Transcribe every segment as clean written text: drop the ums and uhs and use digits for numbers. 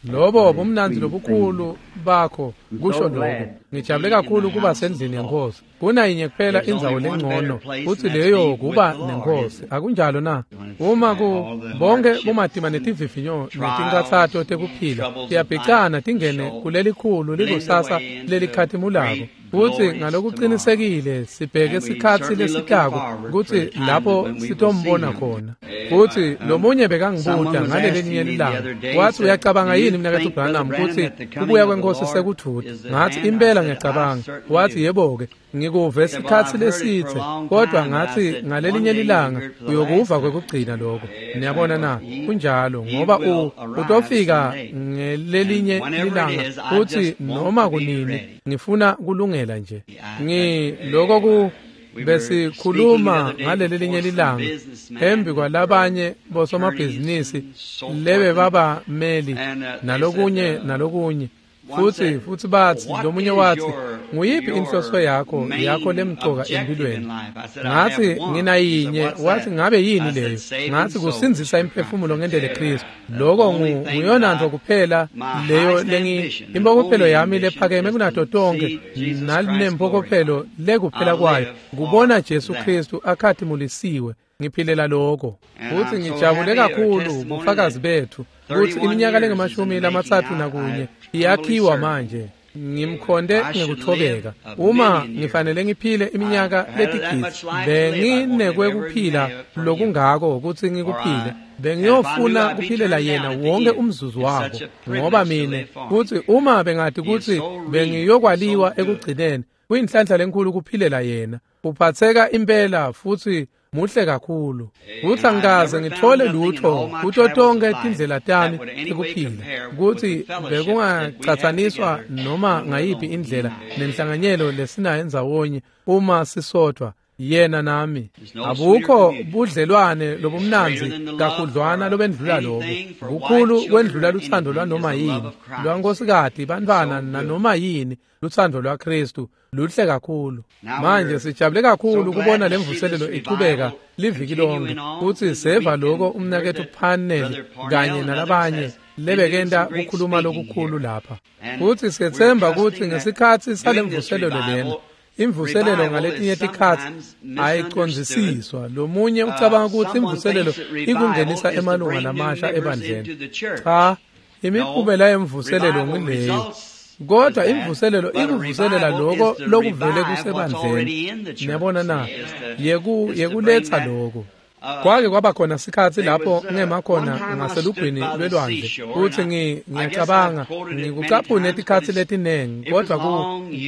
Lobo bumnandzi lobukhulu bakho kusho lokho. Ngijabule kakhulu kuba sendlini yenkosi. Kunayinye kuphela indzawo lengcono kutsi leyo kuba nenkosi. Akunjalo na? Uma ku bonke bumatima netivivinyo netinkhatsato tekuphila tiyabhicana tingene kulelikhulu likusasa lelikhatimulako. Kutsi ngalokuqinisekile sibheke sikhatsi lesitako kutsi lapho sitombona khona. Kutsi lomunye bekangibuta ngalelinye lilanga wathi uyacabanga yini mnaketfu Branham kutsi kubuya kwenkosi sekuthuta? Ngathi impela ngiyacabanga. Wathi yebo-ke ngikuve sikhatsi lesitse, kodwa ngathi ngalelinye lilanga uyokuva kwekugcina lokho. Niyabona na? Kunjalo, ngoba utofika ngelelinye lilanga futhi noma kunini ngifuna kulungela nje. Ngiloko besikhuluma ngalelelinye lilanga embi kwalabanye bosomabhizinisi lebe babameli nalokunye nalokunye. Futhi bathi lomunye wathi nguyiphi inhloso yakho lemcoka empilweni? Ngathi nginayinye. Wathi ngabe yini leyo? Ngathi kusindzisa imphefumulo ngendele Kristu. Lokho nguyona nto kuphela leyo impokophelo yami lephakeme kunato tonke nalempokophelo lekuphela kwayo kubona Jesu Kristu akhatimulisiwe. Ngiphilela lokho. Futhi ngijabule kakhulu bufakazi bethu kutsi iminyaka lengamashumi 31 iyakhiwa manje. Ngimkhonde ngekuthobeka. Uma ngifanele ngiphile iminyaka letigidzi, benginekwekuphila lokungako kutsi ngikuphile. Bengiyofuna kuphilela yena wonke umzuzu wabo, ngoba mine kutsi uma bengathi kutsi bengiyokwaliwa ekugcineni, kuyinhlanhla lenkulu kuphilela yena. Uphatheka impela futhi muhle kakhulu. Kutsi angikaze ngithole lutho kuto tonke tindlela tami tekuphila kutsi bekungacatsaniswa noma ngayiphi indlela nenhlanganyelo lesinayo endzawonye uma sisodwa yena nami. Abukho budlelwane lobumnandzi kakhudlwana lobendlula lobo. Kukhulu kwendlula luthando lwanoma yini, lwankosikati, bantfwana nanoma yini. Luthando lwaKristu luhle kakhulu. Manje sijabule kakhulu kubona lemvuselelo ichubeka liviki lonke. Kutsi seva lokho umnaketfu Parnell kanye nalabanye lebekenta kukhuluma lokukhulu lapha. Kutsi siyetsemba kutsi ngesikhatsi salemvuselelo lena, imvuselelo ngaletinye tikhatsi ayicondzisiswa. Lomunye ucabanga kutsi imvuselelo ikungenisa emalunga lamasha ebandleni. Cha, imiphumela yemvuselelo ngileyo. Kodwa imvuselelo ikuvuselela lokho lokuvele kusebandleni. Niyabona na? Yekuletsa lokho. Kwake kwaba khona sikhatsi lapho ngema khona ngaselugwini lwelwandle kutsi ngiyacabanga ngikucaphune tikhatsi letinengi, kodwa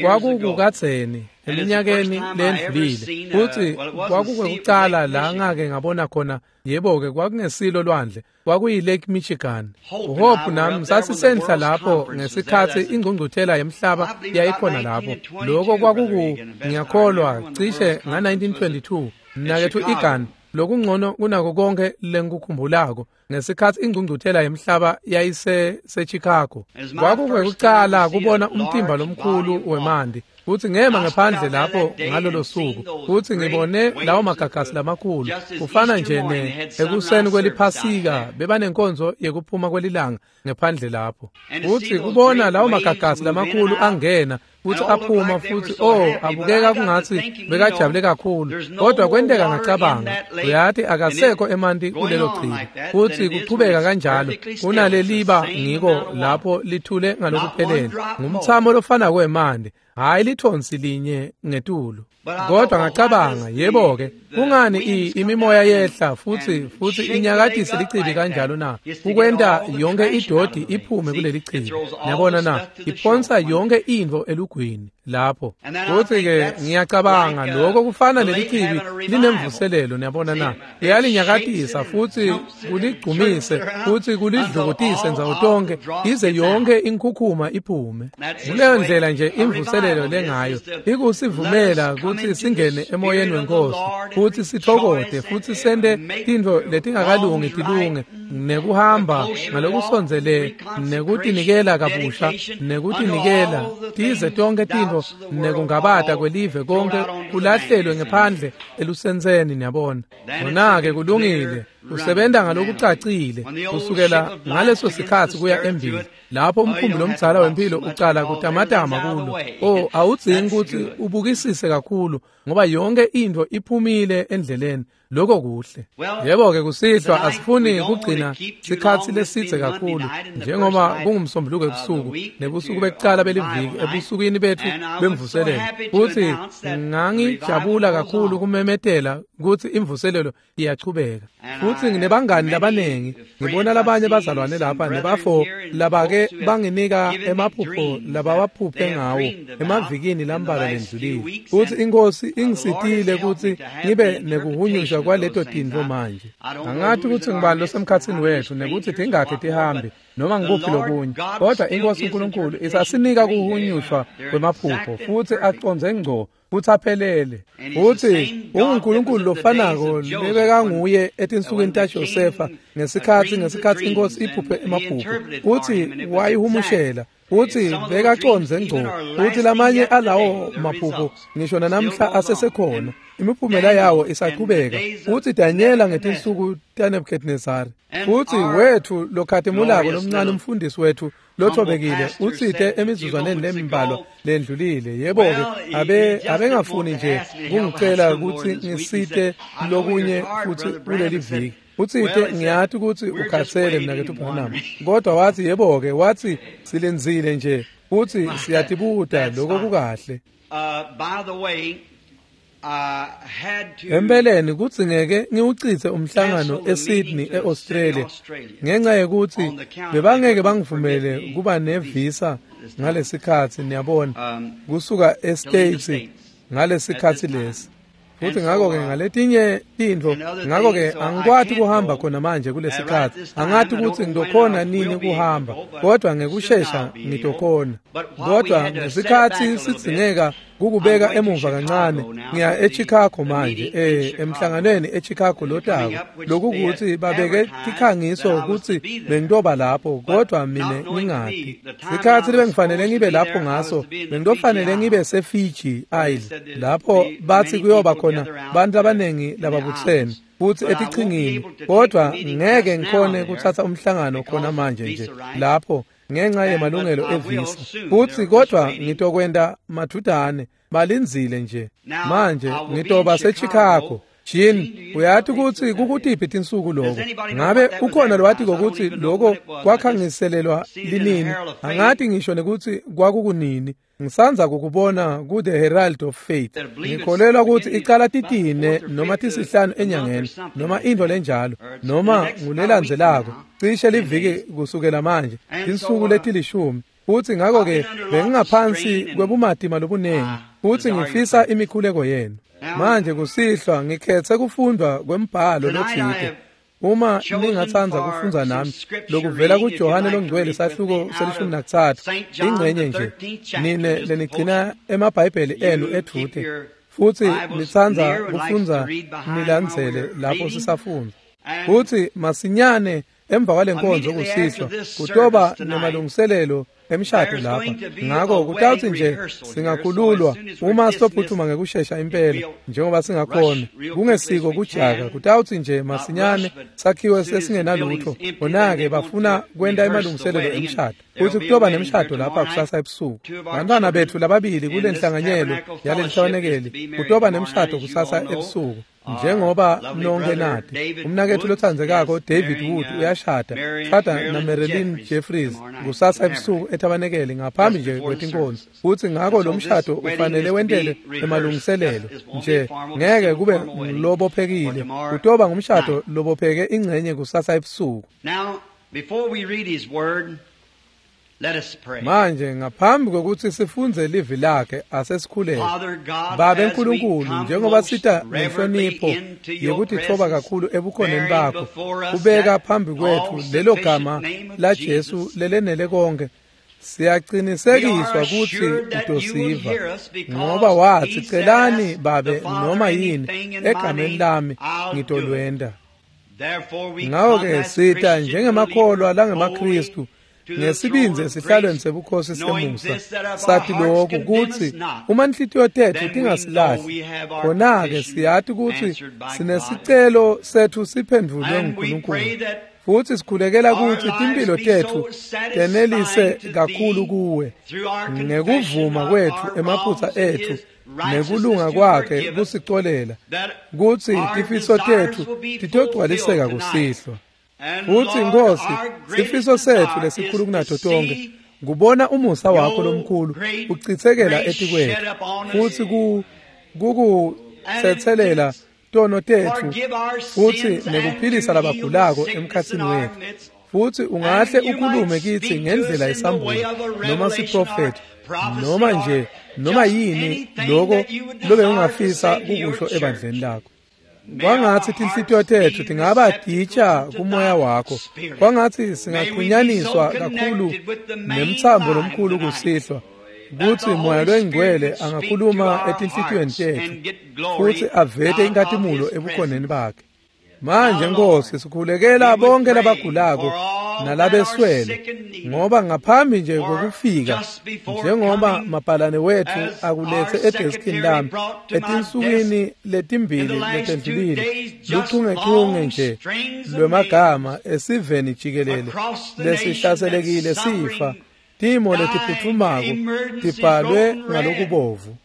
kwakukukadzeni eminyakeni lendlulile. Kutsi kwakukwekucala la ngake ngabona khona, yebo-ke kwakungesilo lwandle, kwakuyi Lake Michigan. Hope nami sasisenhla lapho ngesikhatsi ingqungquthela yemhlaba yayikhona lapho. Lokho kwakuku ngiyakholwa cishe nga-1922. Mnaketfu Egan, lokungcono kunako konke lengikukhumbulako ngesikhatsi ingqungquthela yemhlaba yayise-Chicago. Kwakukwekucala kubona umtimba lomkhulu wemanti. Kutsi ngema ngephandle lapho ngalolo suku, kutsi ngibone lawo magagasi lamakhulu. Kufana nje ekuseni kweliphasika bebanenkonzo yekuphuma kwelilanga ngephandle lapho. Kutsi kubona lawo magagasi lamakhulu angena futhi aphuma futhi abukeka kungatsi bekajabule kakhulu. Kodwa kwenteka ngacabanga, uyati akasekho emanti kulelo chibi. Futhi kuchubeka kanjalo kunaleliba ngiko lapho lithule ngalokuphelele. Ngumthamo lofana kwemanti, hayi lithonsi linye ngetulu. Kodwa ngacabanga, yebo-ke, kungani imimoya yehla futhi inyakatise lichibi kanjalo na? Kukwenta yonke idodi iphume kuleli chibi. Niyabona na? Iphonsa yonke intfo elugwini lapho. Futhi-ke ngiyacabanga lokho kufana leli chibi linemvuselelo, niyabona na? Liyalinyakatisa futhi kuligcumise futhi kulidlukutise ndzawo tonke ize yonke inkhukhuma iphume. Kuleyo ndlela nje imvuselelo lengayo ikusivumela kutsi singene emoyeni wenkosi futhi sithokote futhi sente tintfo letingakalungi tilunge, nekuhamba ngalokusondzele, nekutinikela kabusha, nekutinikela tize tonke tintfo nekungabata kwelive konke kulahlelwe ngephandle elusentseni, niyabona. Kona-ke kulungile. Usebenta ngalokucacile kusukela ngaleso sikhatsi kuya embili lapho umkhumbi lomdzala wempilo ucala kutamatama kulo. Oh, awudzingi kutsi ubukisise kakhulu ngoba yonke intfo iphumile endleleni. Lokho kuhle. Yebo-ke kusihlwa asifuni kugcina sikhatsi lesidze kakhulu njengoba kungumsombuluko ebusuku nebusuku bekucala beliviki ebusukwini bethu bemvuselelo. Futhi ngangijabula kakhulu kumemetela kutsi imvuselelo iyachubeka. Futhi nginebangani labanengi, ngibona labanye bazalwane lapha nebafo labake banginika emaphupho labawaphuphe ngawo emavikini lambalwa lendlulile. Futhi inkosi ingisitile kutsi ngibe nekuhunyusha kwaleto tintfo manje. Angathi kutsi ngibani losemkhatsini wethu nekutsi tingakhe tihambe noma ngikuphi lokunye, kodwa inkosi uNkulunkulu isasinika kuhunyushwa kwemaphupho futsi acondze ngco futsi aphelele. Futsi unguNkulunkulu lofanako lebekanguye etinsukwini taJosefa ngesikhatsi inkosi iphuphe emaphupho, futsi wayihumushela. Futsi bekacondze ngco, futsi lamanye alawo maphupho ngisho nanamhla asesekhona, imiphumela yawo isachubeka. Futsi Danyela ngetinsuku taNebuchadnezzar, futsi wethu lokhatimulako lomncane umfundisi wethu lothobekile utsite emizuzwaneni lembalwa lendlulile, yebo-ke abengafuni nje kungicela kutsi ngisite lokunye futsi kuleli viki. Utsite ngiyati kutsi ukhatsele mnaketfu Branham, kodwa watsi yebo-ke, watsi silindzile nje futsi siyatibuta lokho kukahle. Empeleni kudzingeke ngiwucitse umhlangano eSydney eAustralia ngenxa yekutsi bebangeke bangivumele kuba nevisa ngalesikhatsi, niyabona, kusuka eStates ngalesikhatsi lesi. Futhi ngakho-ke ngaletinye tintfo, ngakho-ke angikwati kuhamba khona manje kulesikhatsi. Angati kutsi ngitokhona nini kuhamba, kodwa ngekushesha ngitokhona. Kodwa ngesikhatsi sidzingeka kukubeka emuva kancane, ngiya eChicago manje, emhlanganweni eChicago lotako. Lokukuthi babeke tikhangiso kutsi bengitoba lapho, kodwa mina ngingati. Sikhatsi lebengifanele ngibe lapho ngaso, bengitofanele ngibe seFiji Isle, lapho bathi kuyoba khona bantu abanengi lababutsene futhi etichingini, kodwa ngeke ngikhone kuthatha umhlangano khona manje nje lapho ngenxa yemalungelo evisa. Futhi kodwa ngitokwenta mathudane, balindzile nje. Manje ngitoba seChicago. Jean, uyati kutsi kukutiphi tinsuku lokho? Ngabe ukhona lowatiko kutsi lokho kwakhangiselelwa linini? Angati ngisho nekutsi kwakukunini. Ngisandza kukubona ku-The Herald of Faith. Ngikholelwa kutsi icala titine noma tisihlanu enyangeni noma intfo lenjalo noma ngulelandzelako, cishe liviki kusukela manje, tinsuku letilishumi. Futsi ngakho-ke bengingaphansi kwebumatima lobunengi, futsi ngifisa imikhuleko yenu. Manje kusihlwa ngikhetse kufundwa kwembhalo lotsite. Uma ningatsandza kufundza nami lokuvela kuJohane longcwele sahluko se-13 ingcenye nje, nine lenigcina emabhayibheli enu edvute futsi nitsandza kufundza nilandzele lapho sisafundza. Futsi masinyane emva kwalenkonzo kusihlwa kutoba nemalungiselelo emshado lapha, ngakho kutawutsi nje singakhululwa uma sitophuthuma ngekushesha impela njengoba singakhona, kungesiko kujaka. Kutawutsi nje masinyane sakhiwe sesingenalutho, bona-ke bafuna kwenta emalungiselelo emshado. Futhi kutoba nemshado lapha kusasa ebusuku. Bantwana bethu lababili kule nhlanganyelo yalelihlabanekeli kutoba nemshado kusasa ebusuku. Njengoba nonke nati, umnaketfu lotsandzekako David Wood uyashada, shada na Marilyn Jeffries kusasa ebusuku etabanekeli ngaphambi nje kwetinkonzo. Futhi ngakho lo mshado ufanele wentele emalungiselelo nje, ngeke kube lobophekile, kutoba ngumshado lobopheke ingcenye kusasa ebusuku. Manje ngaphambi kokuthi sifundze livi lakhe asesikhuleke. Babe Nkulunkulu, njengoba sita nenhlonipho yekutitfoba kakhulu ebukhoneni bakho, kubeka phambi kwethu lelo gama la Jesu lelenele konke, siyaqinisekiswa kutsi utosiva, ngoba wathi celani Babe noma yini egameni lami ngitolwenta. Ngakho-ke sita njengemakholwa langemaKhristu ngesibindzi esihlalweni sebukhosi semusa, sathi lokhu kutsi uma inhlitiyo tetfu tingasilahli, khona-ke siyati kutsi sinesicelo setfu siphendvulwe nguNkulunkulu. Futsi sikhulekela kutsi timphilo tetfu tenelise kakhulu kuwe ngekuvuma kwetfu emaphutsa etfu nekulunga kwakhe kusicolela, kutsi tifiso tetfu titogcwaliseka kusihlwa. Futsi Nkosi, sifiso setfu lesikhulu kunato tonkhe ngubona umusa wakho lomkhulu ucitsekela etikwetfu, futsi kukutsetselela tono tetfu futsi nekuphilisa labagulako emkhatsini wetfu. Futsi ungahle ukhulume kitsi ngendlela yesambulo noma siprofethi noma nje noma yini loko lobe ungafisa kukusho ebandleni lakho. Kwangatsi tinhlitiyo tetfu tingaba titsha kumoya wakho, kwangatsi singaxhunyaniswa kakhulu nemtsambo lomkhulu kusihlwa, kutsi moya loyingcwele angakhuluma etinhlitiyweni tetfu futsi avete inkhatimulo ebukhoneni bakhe. Manje Nkosi, sikhulekela bonke labagulako nalabeswele, ngoba ngaphambi nje kwekufika, njengoba mabhalane wetfu akuletse edeskini lami etinsukwini letimbili letendlulile, luchungechunge nje lwemagama esiveni jikelele lesihlaselekile sifa, timo letiphutfumako tibhalwe ngalokubovu.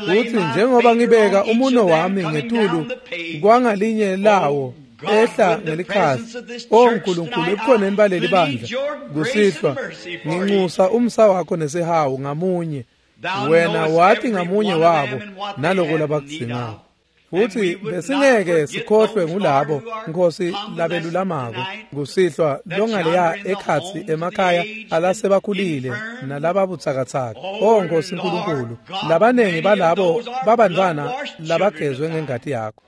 Futsi njengoba ngibeka umuno wami ngetulu kwangalinye lawo ehla ngelikhasi, O Nkulunkulu, ebukhoneni baleli bandla kusihlwa, nginxusa umsa wakho nesihawu ngamunye. Wena wathi ngamunye wabo naloko labakudzingako. Futsi besingeke sikhohlwe ngulabo, Nkosi, labelulamako kusihlwa longaleya ekhatsi emakhaya alasebakhulile nalababutsakatsaka. O Nkosi Nkulunkulu, labanengi balabo babantfwana labagezwe ngengati yakho.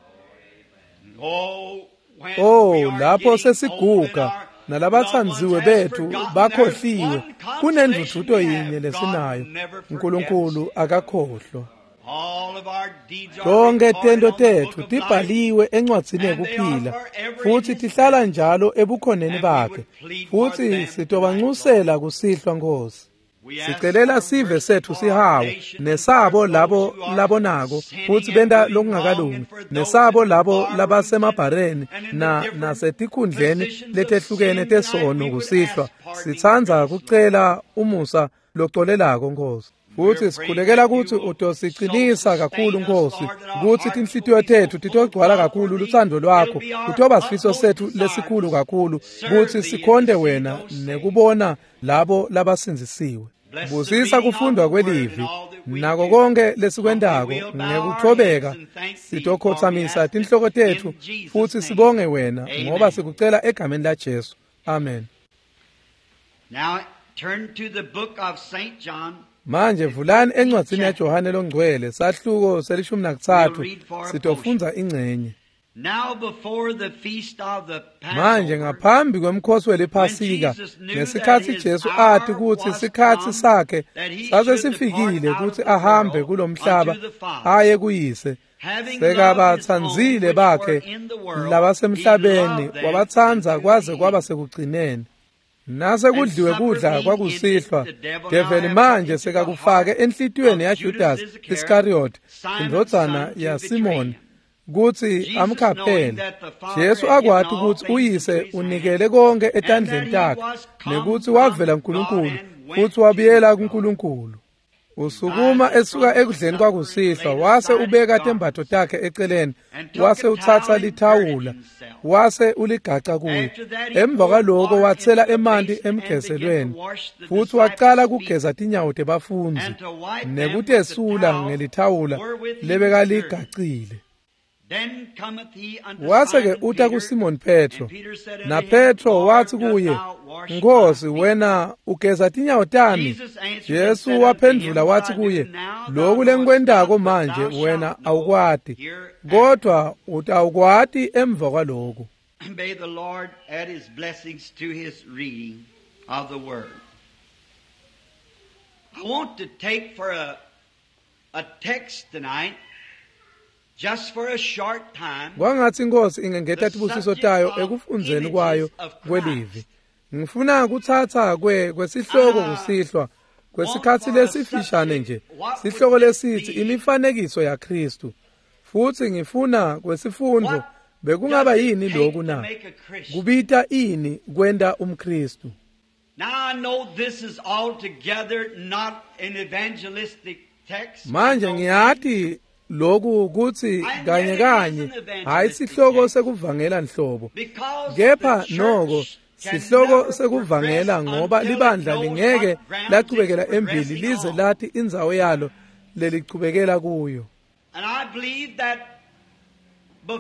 Oh, lapho sesiguga nalabatsandziwe betfu bakhohliwe, kunendvudvuto yinye lesinayo, Nkulunkulu akakhohlwa. Tonke tento tetfu tibhaliwe encwadzini yekuphila, futsi tihlala njalo ebukhoneni bakhe, futsi sitobancusela kusihlwa Nkosi. Sicelela sive setfu sihawu nesabo labo labonako futsi benta lokungakalungi, nesabo labo labasemabhareni nasetikhundleni letehlukene tesono kusihlwa. Sitsandza kucela umusa locolelako Nkosi. Futsi sikhulekela kutsi utosicinisa kakhulu Nkosi, kutsi tinhlitiyo tetfu titogcwala kakhulu lutsandvo lwakho, kutoba sifiso setfu lesikhulu kakhulu kutsi sikhonte wena nekubona labo labasindzisiwe. Busisa kufundwa kwelivi nako konke lesikwentako ngekuthobeka, sitokhotsamisa tinhloko tetfu futsi sibonge wena, ngoba sikucela egameni la Jesu. Amen. Now turn to the book of St. John. Manje vulani encwadzini yaJohane longcwele sahluko se-13, sitofundza ingcenye. Manje ngaphambi kwemkhosi weliPhasika, ngesikhatsi Jesu ati kutsi sikhatsi sakhe sase sifikile kutsi ahambe kulomhlaba aye kuyise, sekabatsandzile bakhe labasemhlabeni, wabatsandza kwaze kwaba sekugcineni. Nase kudliwe kudla kwakusihlwa, develi manje sekakufake enhlitiyweni yaJudas Iskariot, indvodzana yaSimoni, kutsi amkhaphele. Jesu akwati kutsi uyise unikele konke etandleni takhe, nekutsi wavela kuNkulunkulu futsi wabuyela kuNkulunkulu. Usukuma esuka ekudleni kwakusihlwa, wase ubeka tembatfo takhe eceleni, wase utsatsa lithawula, wase uligaca kuye. Emva kwaloko watsela emanti emgezelweni, futsi wacala kugeza tinyawo tebafundzi nekutesula ngelithawula lebekaligacile. Wase-ke uta kuSimon Petro, naPetro watsi kuye, Nkosi, wena ugeza tinyawo tami. Jesu waphendvula watsi kuye, loku lengikwentako manje wena awukwati, kodvwa utawukwati emva kwaloku. May the Lord add his blessings to his reading of the word. I want to take for a text tonight, just for a short time, Kwangatsi Inkosi ingengeta tibusiso tayo ekufundzeni kwayo kwelivi. Ngifuna kutsatsa kwesihloko kusihlwa kwesikhatsi lesifishane nje, sihloko lesithi imifanekiso yaKhristu. Futsi ngifuna kwesifundvo bekungaba yini lokhu na? Kubita ini kwenta umKhristu? Manje ngiyati lokhu kutsi kanye kanye hayi sihloko sekuvangela nhlobo, kepha noko sihloko sekuvangela ngoba libandla lingeke lachubekela embili lize lati indzawo yalo lelichubekela kuyo.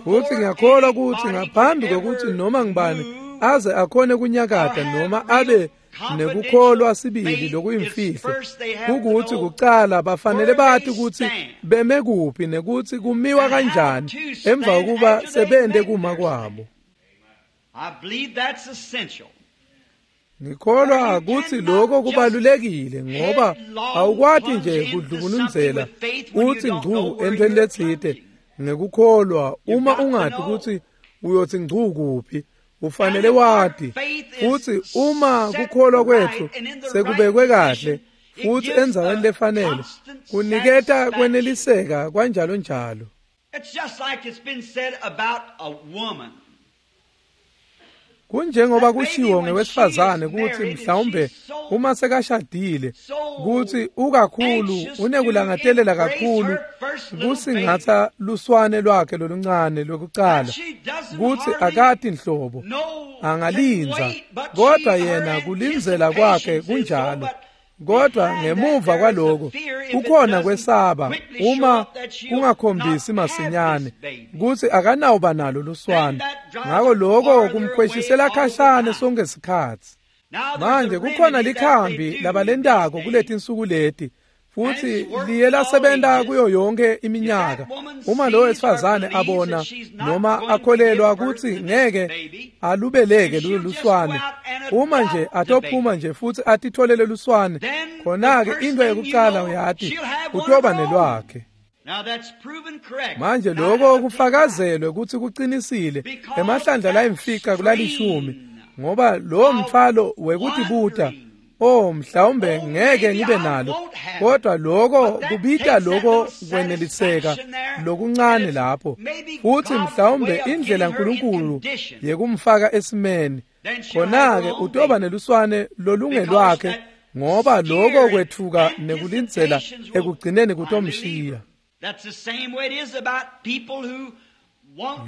Futsi ngiyakholwa kutsi ngaphambi kwekutsi noma ngibani aze akhone kunyakata noma abe nekukholwa sibili lokuyimfihlo, kukutsi kucala bafanele bati kutsi beme kuphi nekutsi kumiwa kanjani emva kokuba sebente kuma kwabo. Ngikholwa kutsi lokho kubalulekile ngoba awukwati nje kudlubulundzela utsi ngcu entweni letsite ngekukholwa uma ungati kutsi uyothi ngcu kuphi. Ufanele wati futsi uma kukholwa kwetfu sekubekwe kahle futsi endzaweni lefanele, kuniketa kweneliseka kwanjalo njalo. Kunjengoba kushiwo ngewesifazane kutsi mhlawumbe uma sekashadile kutsi ukakhulu unekulangatelela kakhulu kusingatha luswane lwakhe loluncane lwekucala, kutsi akati nhlobo angalindza, kodwa yena kulindzela kwakhe kunjalo. Kodwa ngemuva kwaloko kukhona kwesaba uma kungakhombisi masinyane kutsi akanawuba nalo luswane, ngako lokho kumkhweshisela khashane sonke sikhatsi. Manje kukhona likhambi labalentako kuletinsuku leti, futsi liye lasebenta kuyo yonke iminyaka. Uma lo wesifazane abona noma akholelwa kutsi ngeke alubeleke luswane, uma nje atophuma nje futsi atitholele luswane, khona-ke into yekucala uyati utoba nelwakhe. Manje lokho kufakazelwe kutsi kucinisile emahlandla layimfica kulalishumi, ngoba lowo mthwalo wekutibuta, oh mhlawumbe ngeke ngibe nalo, kodwa lokho kubita lokho kweneliseka lokuncane lapho, futsi mhlawumbe indlela uNkulunkulu yekumfaka esimeni, khona-ke utoba neluswane lolungelwakhe, ngoba lokho kwetfuka nekulindzela ekugcineni kutomshiya.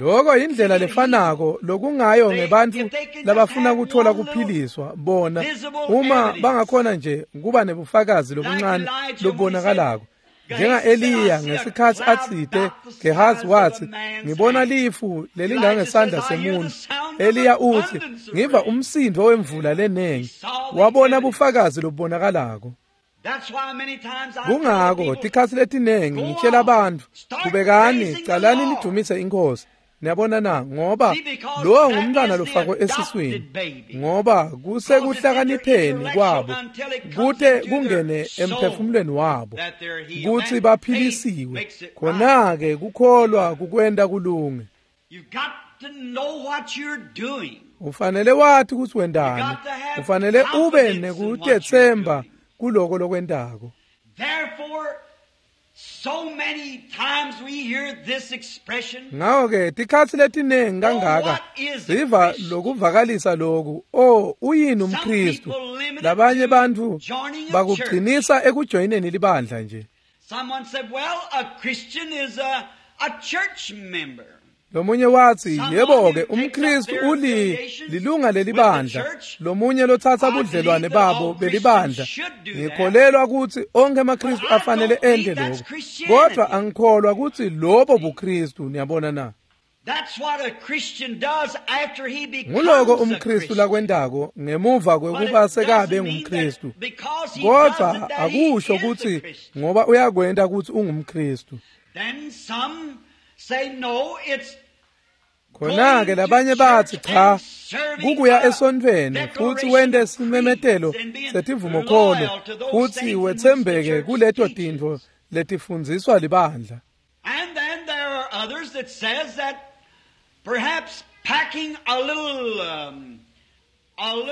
Lokho indlela lefanako lokungayo ngebantfu labafuna kuthola kuphiliswa bona, uma bangakhona nje kuba nebufakazi lobuncane lobubonakalako. Njenga-Eliya ngesikhatsi atsite, Gehazi watsi, ngibona lifu lelingangesandla semuntu. Eliya utsi, ngiva umsindvo wemvula lenengi. Wabona bufakazi lobubonakalako. Kungako tikhatsi letinengi ngitshela bantfu, qhubekani, calani nidumise iNkhosi. Niyabona na, ngoba lowo ngumntwana lofakwe esiswini, ngoba kusekuhlakanipheni kwabo kute kungene emphefumulweni wabo kutsi baphilisiwe. Khona-ke kukholwa kukwenta kulunge. Ufanele wati kutsi wentani, ufanele ube nekutetsemba kuloko lokwentako. Ngako-ke tikhatsi letinengi kangaka siva lokuvakalisa loku, oh uyini umKhristu? Labanye bantfu bakugcinisa ekujoyineni libandla nje. Lomunye watsi, yebo-ke umKhristu lilunga lelibandla, lomunye lotsatsa budlelwane babo belibandla. Ngikholelwa kutsi onkhe emaKhristu afanele ente lokho, kodwa angikholwa kutsi lobo buKhristu. Niyabona na? Nguloko umKhristu lakwentako ngemuva kwekuba sekabe ngumKhristu, kodwa akusho kutsi ngoba uyakwenta kutsi ungumKhristu. Khona-ke labanye batsi, cha, kukuya esontfweni futsi wente simemetelo setivumokholo futsi wetsembeke kuleto tintfo letifundziswa libandla.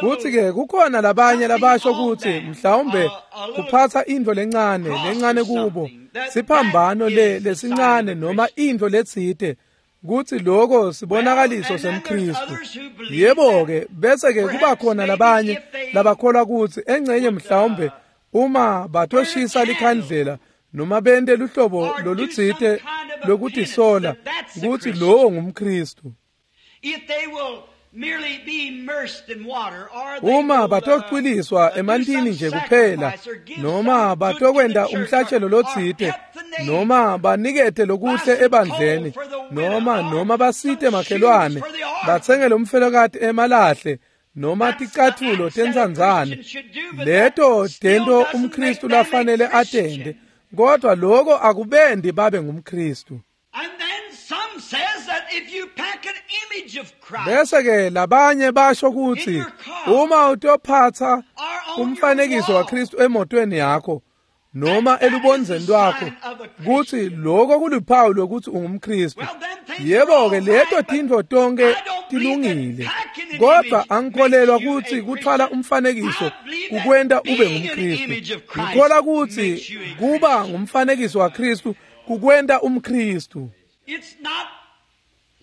Futhi-ke kukhona labanye labasho kutsi mhlawumbe kuphatsa intfo lencane lencane kubo siphambano le lesincane noma intfo letsite kutsi loko sibonakaliso semKristu. Yebo-ke bese-ke kuba khona labanye labakholwa kutsi engcenye mhlawumbe uma batoshisa likhandlela noma bente luhlobo lolutsite lokutisola kutsi lowo ngumKristu. Uma batocwiliswa emantini nje kuphela noma batokwenta umhlatshelo lotsite noma banikete lokuhle ebandleni noma basite makhelwane batsengele umfelokati emalahle noma ticatfulo tentsandzane, leto tento umKristu lafanele atente, kodwa loko akubendi babe ngumKristu. Bese-ke labanye basho kutsi uma utophatsa umfanekiso waKristu emotweni yakho noma elubondzeni lwakho kutsi loko kuluphawu lokuthi ungumKristu. Yebo-ke leto tintfo tonke tilungile, kodwa angikholelwa kutsi kuthwala umfanekiso kukwenta ube ngumKristu. Ngikholwa kutsi kuba ngumfanekiso waKristu kukwenta umKristu. It's not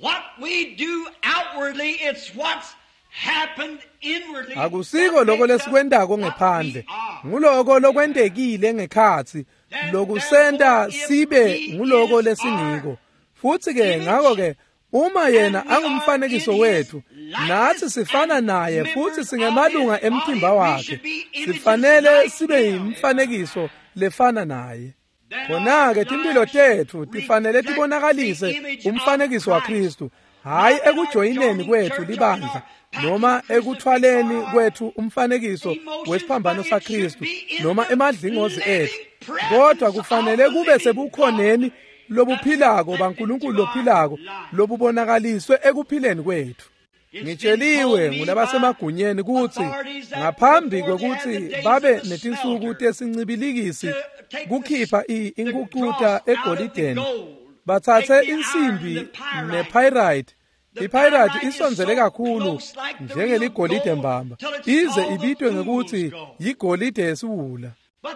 what we do outwardly, it's what's happened inwardly. Akusiko lokho lesikwentako ngephandle, nguloko lokwentekile ngekhatsi lokusenta sibe nguloko lesingiko. Futhi-ke ngakho-ke uma yena angumfanekiso wethu, natsi sifana naye futhi singemalunga emtimba wakhe, sifanele sibe yimfanekiso lefana naye. Khona-ke timphilo tetfu tifanele tibonakalise umfanekiso waKristu, hhayi ekujoyineni kwetfu libandla noma ekuthwaleni kwetfu umfanekiso wesiphambano saKristu noma emadlingozi etfu, kodwa kufanele kube sebukhoneni lobuphilako baNkulunkulu lophilako lobubonakaliswe ekuphileni kwetfu. Ngitsheliwe ngulabasemagunyeni kutsi ngaphambi kwekutsi babe netinsuku tesincibilikisi kukhipha inkucuta egolideni, batsatse insimbi nepyrite. Ipyrite isondzele kakhulu njengeligolide mbamba, ize ibitwe ngekutsi yigolide yesiwula.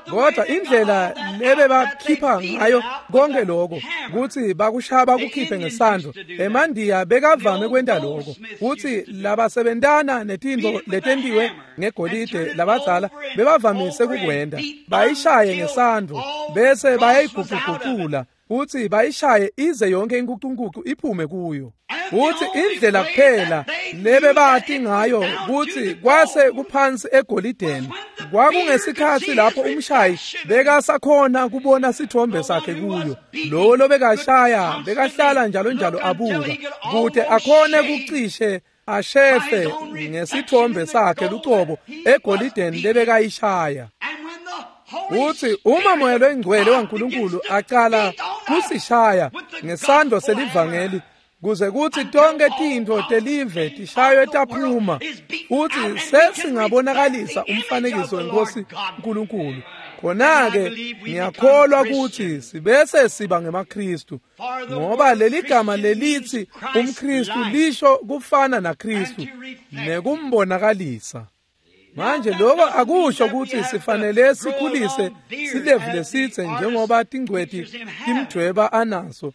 Kodwa indlela lebebakhipha ngayo konke lokho kutsi bakushaya bakukhiphe ngesandvo, emandiya bekavame kwenta lokho kutsi labasebentana netintfo letentiwe ngegolide labadzala bebavamise kukwenta, bayishaye ngesandvo bese bayayiguquguqula kutsi bayishaye ize yonke inkucunkucu iphume kuyo. Kutsi indlela kuphela lebebati ngayo kutsi kwase kuphansi egolideni kwakungesikhatsi lapho umshayi bekasakhona kubona sithombe sakhe kuyo. Lowo lobekashaya bekahlala njalo njalo abuka kute akhone kucishe ashefe ngesithombe sakhe lucobo egolideni lebekayishaya. Uthi uma moya loyingcwele waNkulunkulu acala kusishaya ngesandvo selivangeli kuze kutsi tonke tintfo telive tishaywe taphuma, uthi sesingabonakalisa umfanekiso wenkosi uNkulunkulu. Khona-ke ngiyakholwa kutsi sibese siba ngemaKristu, ngoba leli gama lelithi umKristu lisho kufana naKristu nekumbonakalisa. Manje lokho akusho kutsi sifanele sikhulise silevu lesitse njengoba tingcweti timdvweba anaso,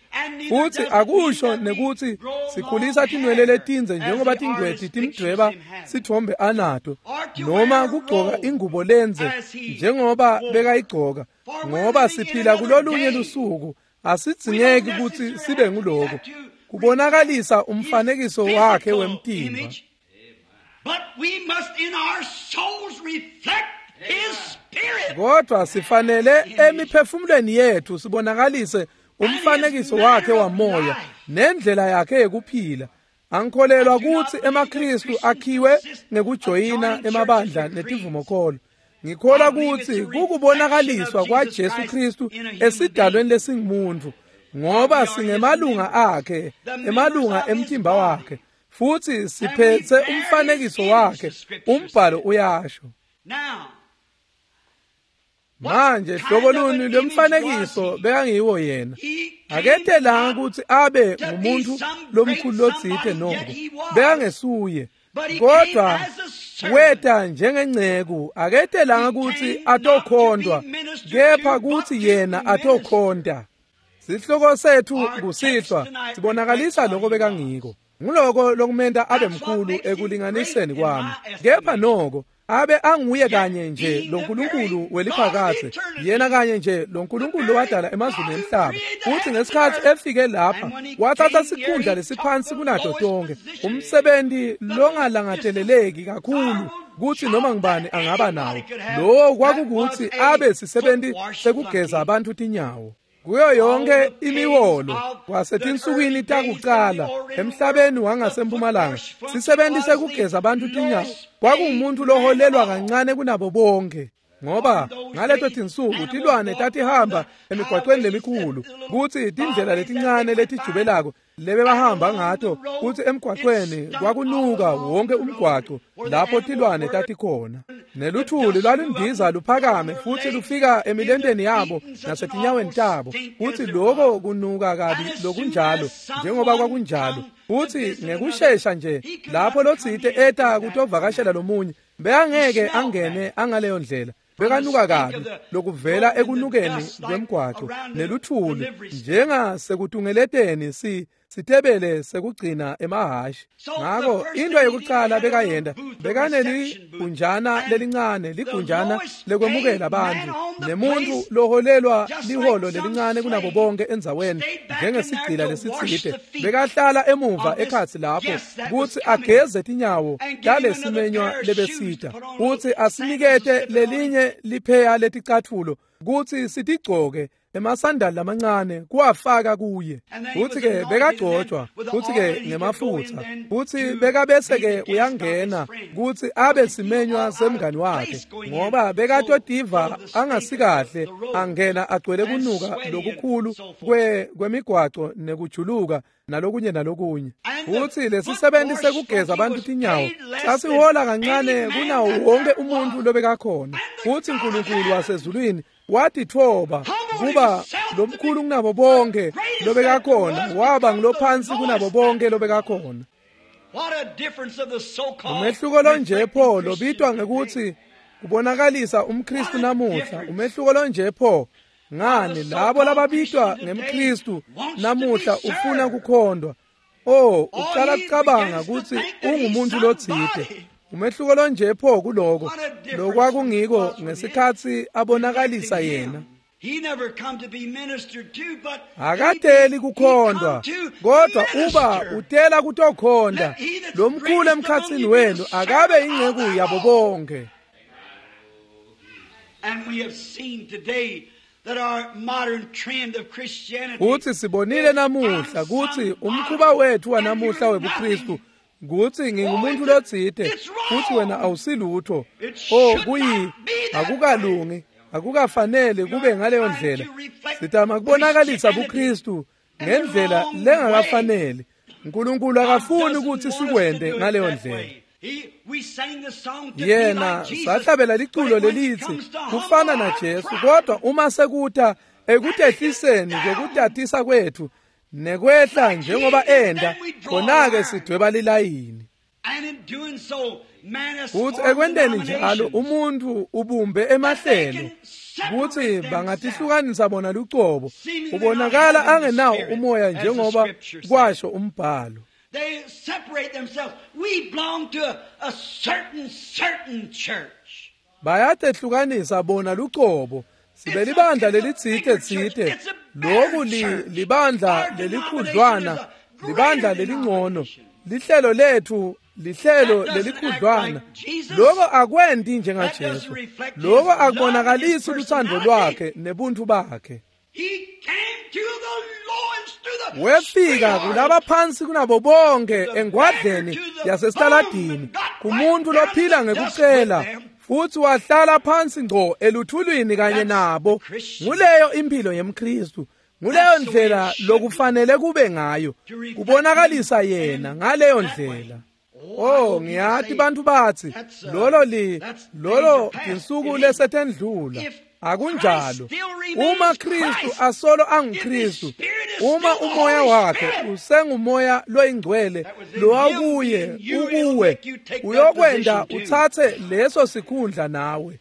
futhi akusho nekutsi sikhulisa tinwele letindze njengoba tingcweti timdvweba sithombe anato, noma kugcoka ingubo lendze njengoba bekayigcoka, ngoba siphila kulolunye lusuku. Asidzingeki kutsi sibe nguloko kubonakalisa umfanekiso wakhe wemtimba. But we must in our souls reflect his spirit. Kodwa sifanele emiphefumulweni yethu sibonakalise umfanekiso wakhe wamoya nendlela yakhe yekuphila. Angikholelwa kutsi emaKristu akhiwe ngekujoyina emabandla netivumokholo. Ngikholwa kutsi kukubonakaliswa kwaJesu Kristu esidalweni lesingumuntu, ngoba singemalunga akhe, emalunga emtimba wakhe, futhi siphethe umfanekiso wakhe. Umbhalo uyasho. Manje hlobo luni lwemfanekiso bekangiwo yena? Aketelanga kutsi abe ngumuntu lomkhulu lotsite noko, bekangesuye. Kodwa weta njengenceku, aketelanga kutsi atokhondwa, kepha kutsi yena atokhonta. Sihloko sethu kusihlwa sibonakalisa lokho bekangiko. Nguloko lokumenta abe mkhulu ekulinganiseni kwami. Kepha noko abe anguye kanye nje lo Nkulunkulu weliphakadze, yena kanye nje lo Nkulunkulu lowadala emazulu nemhlaba. Futsi ngesikhatsi efike lapha wathatha sikhundla lesiphansi kunato tonke, umsebenzi longalangateleleki kakhulu kutsi noma ngubani angaba nawo. Lowo kwakukutsi abe sisebenti sekugeza abantu tinyawo. Kuyo yonke imiholo kwasetinsukwini takuqala emhlabeni wangasempumalanga, sisebenti sekugeza abantu tinyawo kwakungumuntu loholelwa kancane kunabo bonke, ngoba ngaleto tinsuku tilwane tatihamba emigwaqweni lemikhulu, kutsi tindlela letincane letijubelako lebebahamba ngato, kutsi emgwaqweni kwakunuka wonke umgwaco lapho tilwane tatikhona. Neluthuli lwalundiza luphakame futsi lufika emilenteni yabo nasetinyaweni tabo, kutsi loko kunuka kabi lokunjalo njengoba kwakunjalo. Futsi ngekushesha nje lapho lotsite eta kutovakashela lomunye, bekangeke angene angaleyo ndlela, bekanuka kabi lokuvela ekunukeni kwemgwaco neluthuli, njengasekutungeleteni sitebele sekugcina emahhashi. Ngako into yokuqala bekayenta, bekaneligunjana lelincane, ligunjana lekwemukela abantu, nemuntu loholelwa liholo lelincane kunabo bonke endzaweni, njengesigcila lesitsite, bekahlala emuva ekhatsi lapho kutsi ageze tinyawo talesimenywa lebesita, kutsi asinikete lelinye lipheya leticatfulo kutsi sitigcoke, emasandali lamancane kuwafaka kuye. Futsi-ke bekagcotshwa, futsi-ke ngemafutsa, futsi bekabese-ke uyangena kutsi abe simenywa semngani wakhe, ngoba bekatotiva angasikahle, angena agcwele kunuka lokukhulu kwemigwaco nekujuluka nalokunye nalokunye. Futsi lesisebenti sekugeza abantu tinyawo sasihola kancane kunawo wonke umuntu lobekakhona. Futsi Nkulunkulu wasezulwini watitfoba kuba lomkhulu kunabo bonke lobekakhona, waba ngilophansi kunabo bonke lobekakhona. Umehluko lonje pho lobitwa ngekuthi kubonakalisa umKristu namuhla, umehluko lonje pho ngani labo lababitwa ngemKristu namuhla ufuna kukhondwa. Oh, uqala kucabanga kutsi ungumuntu lotsite. Umehluko lonje pho kuloko lokwakungiko ngesikhatsi abonakalisa yena. Akateli kukhondwa, kodwa uba utela kutokhonda, lomkhulu emkhatsini wenu akabe inceku yabo bonke. Kutsi sibonile namuhla kutsi umkhuba wethu wanamuhla webuKristu kutsi ngingumuntu lotsite futsi wena awusilutho. Oh, kuyi akukalungi, akukafanele kube ngaleyo ndlela. Sitama kubonakalisa buKristu ngendlela lengakafanele. Nkulunkulu akafuni ukuthi sikwente ngaleyo ndlela. Yena sahlabela liculo lelithi kufana naJesu, kodwa uma sekuta ekutehliseni kwekutatisa kwethu nekwehla njengoba enda, khona-ke sidweba lilayini. Futsi ekwenteni njalo umuntu ubumbe emahlelo kutsi bangatihlukanisa bona lucobo, ubonakala angenawo umoya njengoba kwasho umbhalo. They separate themselves. We belong to a certain church. Bayatehlukanisa bona lucobo. Sibe libandla lelitsite tsite. Loku libandla lelikhudlwana, libandla lelingcono. Lihlelo lethu lihlelo lelikhudlwana. Lokho akwenti njengaJesu. Lokho akubonakalisi luthando lwakhe nebuntu bakhe. Wefika kulaba phansi kunabo bonke engwadleni yasesitaladini, kumuntu lophila ngekucela, futsi wahlala phansi ngco eluthulwini kanye nabo. Nguleyo impilo yemKristu, nguleyo ndlela lokufanele kube ngayo, kubonakalisa yena ngaleyo ndlela. Oh, ngiyati bantu batsi lolo tinsuku lesetendlula. Akunjalo. Uma Kristu asolo anguKristu, uma umoya wakhe usengumoya loyingcwele lowakuye ukuwe, uyokwenda utsatse leso sikhundla nawe.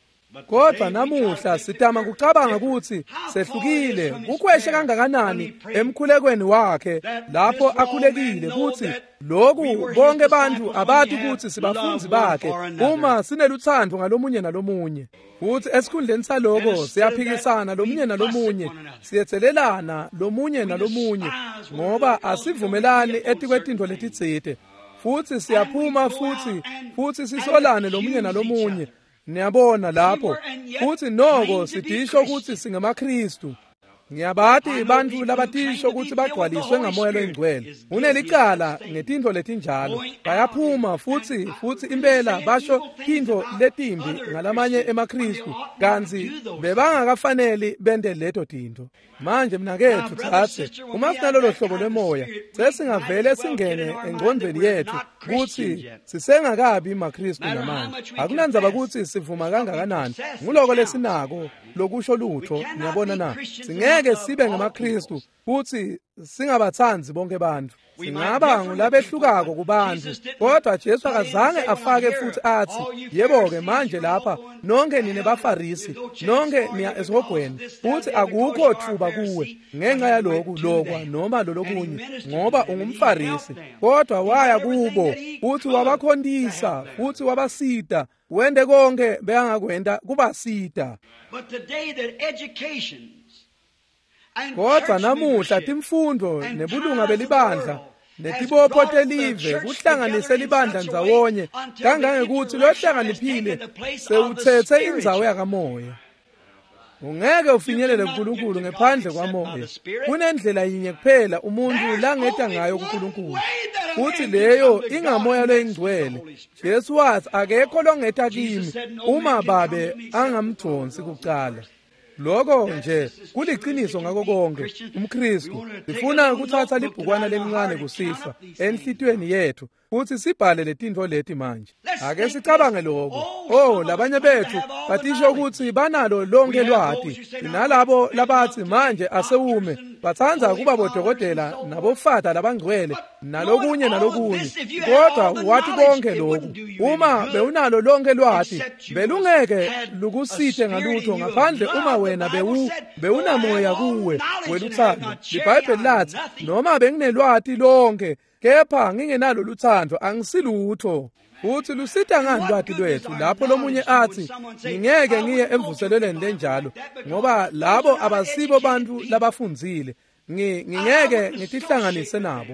Kodwa namuhla sitama kucabanga ukuthi sehlukile. Kukweshe kangakanani emkhulekweni wakhe lapho akhulekile ukuthi lokhu bonke bantu abati ukuthi sibafunzi bakhe uma sineluthando ngalomunye nalomunye. Futhi esikhundleni saloko siyaphikisana lomunye nalomunye, siyethelelana lomunye nalomunye ngoba asivumelani etikwetintfo letitsite. Futhi siyaphuma futhi sisolane lomunye nalomunye. Niyabona lapho futhi noko sidisho ukuthi singamaKristu. Ngiyabati bantfu labatisho ukuthi bagcwaliswe ngamoya loyingcwele. Unelicala ngetintfo letinjalo. Bayaphuma futhi impela basho tintfo letimbi ngalamanye emaKristu kantsi bebangakafaneli bente leto tintfo. Manje mnaketfu tsatse, uma sinalolo hlobo lwemoya sesingavele singene engcondvweni yethu kutsi sisengakabi maKristu namanje. Akunandzaba kutsi sivuma kangakanani, nguloko lesinako lokusho lutho. Niyabona na? Singeke sibe ngemaKristu futhi singabatsandzi bonke bantfu. Singaba ngulabehlukako kubantfu, kodwa Jesu akazange afake futhi athi, yebo-ke manje lapha nonke nine baFarisi, nonke niya esihogweni, futhi akukho thuba kuwe ngenxa yaloku lokwa noma lolokunye ngoba ungumFarisi. Kodwa waya kubo futhi wabakhontisa futhi wabasita, wente konke bekangakwenta kubasita. Kodwa namuhla timfundo nebulunga belibandla netibopho telive kuhlanganise libandla ndzawonye kangangekuthi lohlakaniphile sewutsetse indzawo yakamoya. Ungeke ufinyelele kuNkulunkulu ngephandle kwamoya. Kunendlela yinye kuphela umuntu langeta ngayo kuNkulunkulu, futhi leyo ingamoya loyingcwele. Jesu wathi akekho longeta kimi uma babe angamdonsi kucala. Lokho nje kuliciniso ngako konke umKristu. Sifuna ukuthatha libhukwana lelincane kusihlwa enhlitiyweni yethu futhi sibhale letintfo leti manje. Ake sicabange lokho. Oh, labanye bethu batisho ukuthi banalo lonke lwati, nalabo labathi manje asewume batsandza kuba bodokotela nabofada labangcwele nalokunye nalokunye. Kodwa wathi konke lokhu, uma bewunalo lonke lwati belungeke lukusite ngalutho ngaphandle uma wena bewunamoya kuwe weluthando. IBhayibheli lathi noma benginelwati lonke kepha ngingenalo luthando angisilutho. Futhi lusita ngani lwati lwethu lapho lomunye athi ngingeke ngiye emvuselelweni lenjalo ngoba labo abasibo bantu labafundzile, ngingeke ngitihlanganise nabo.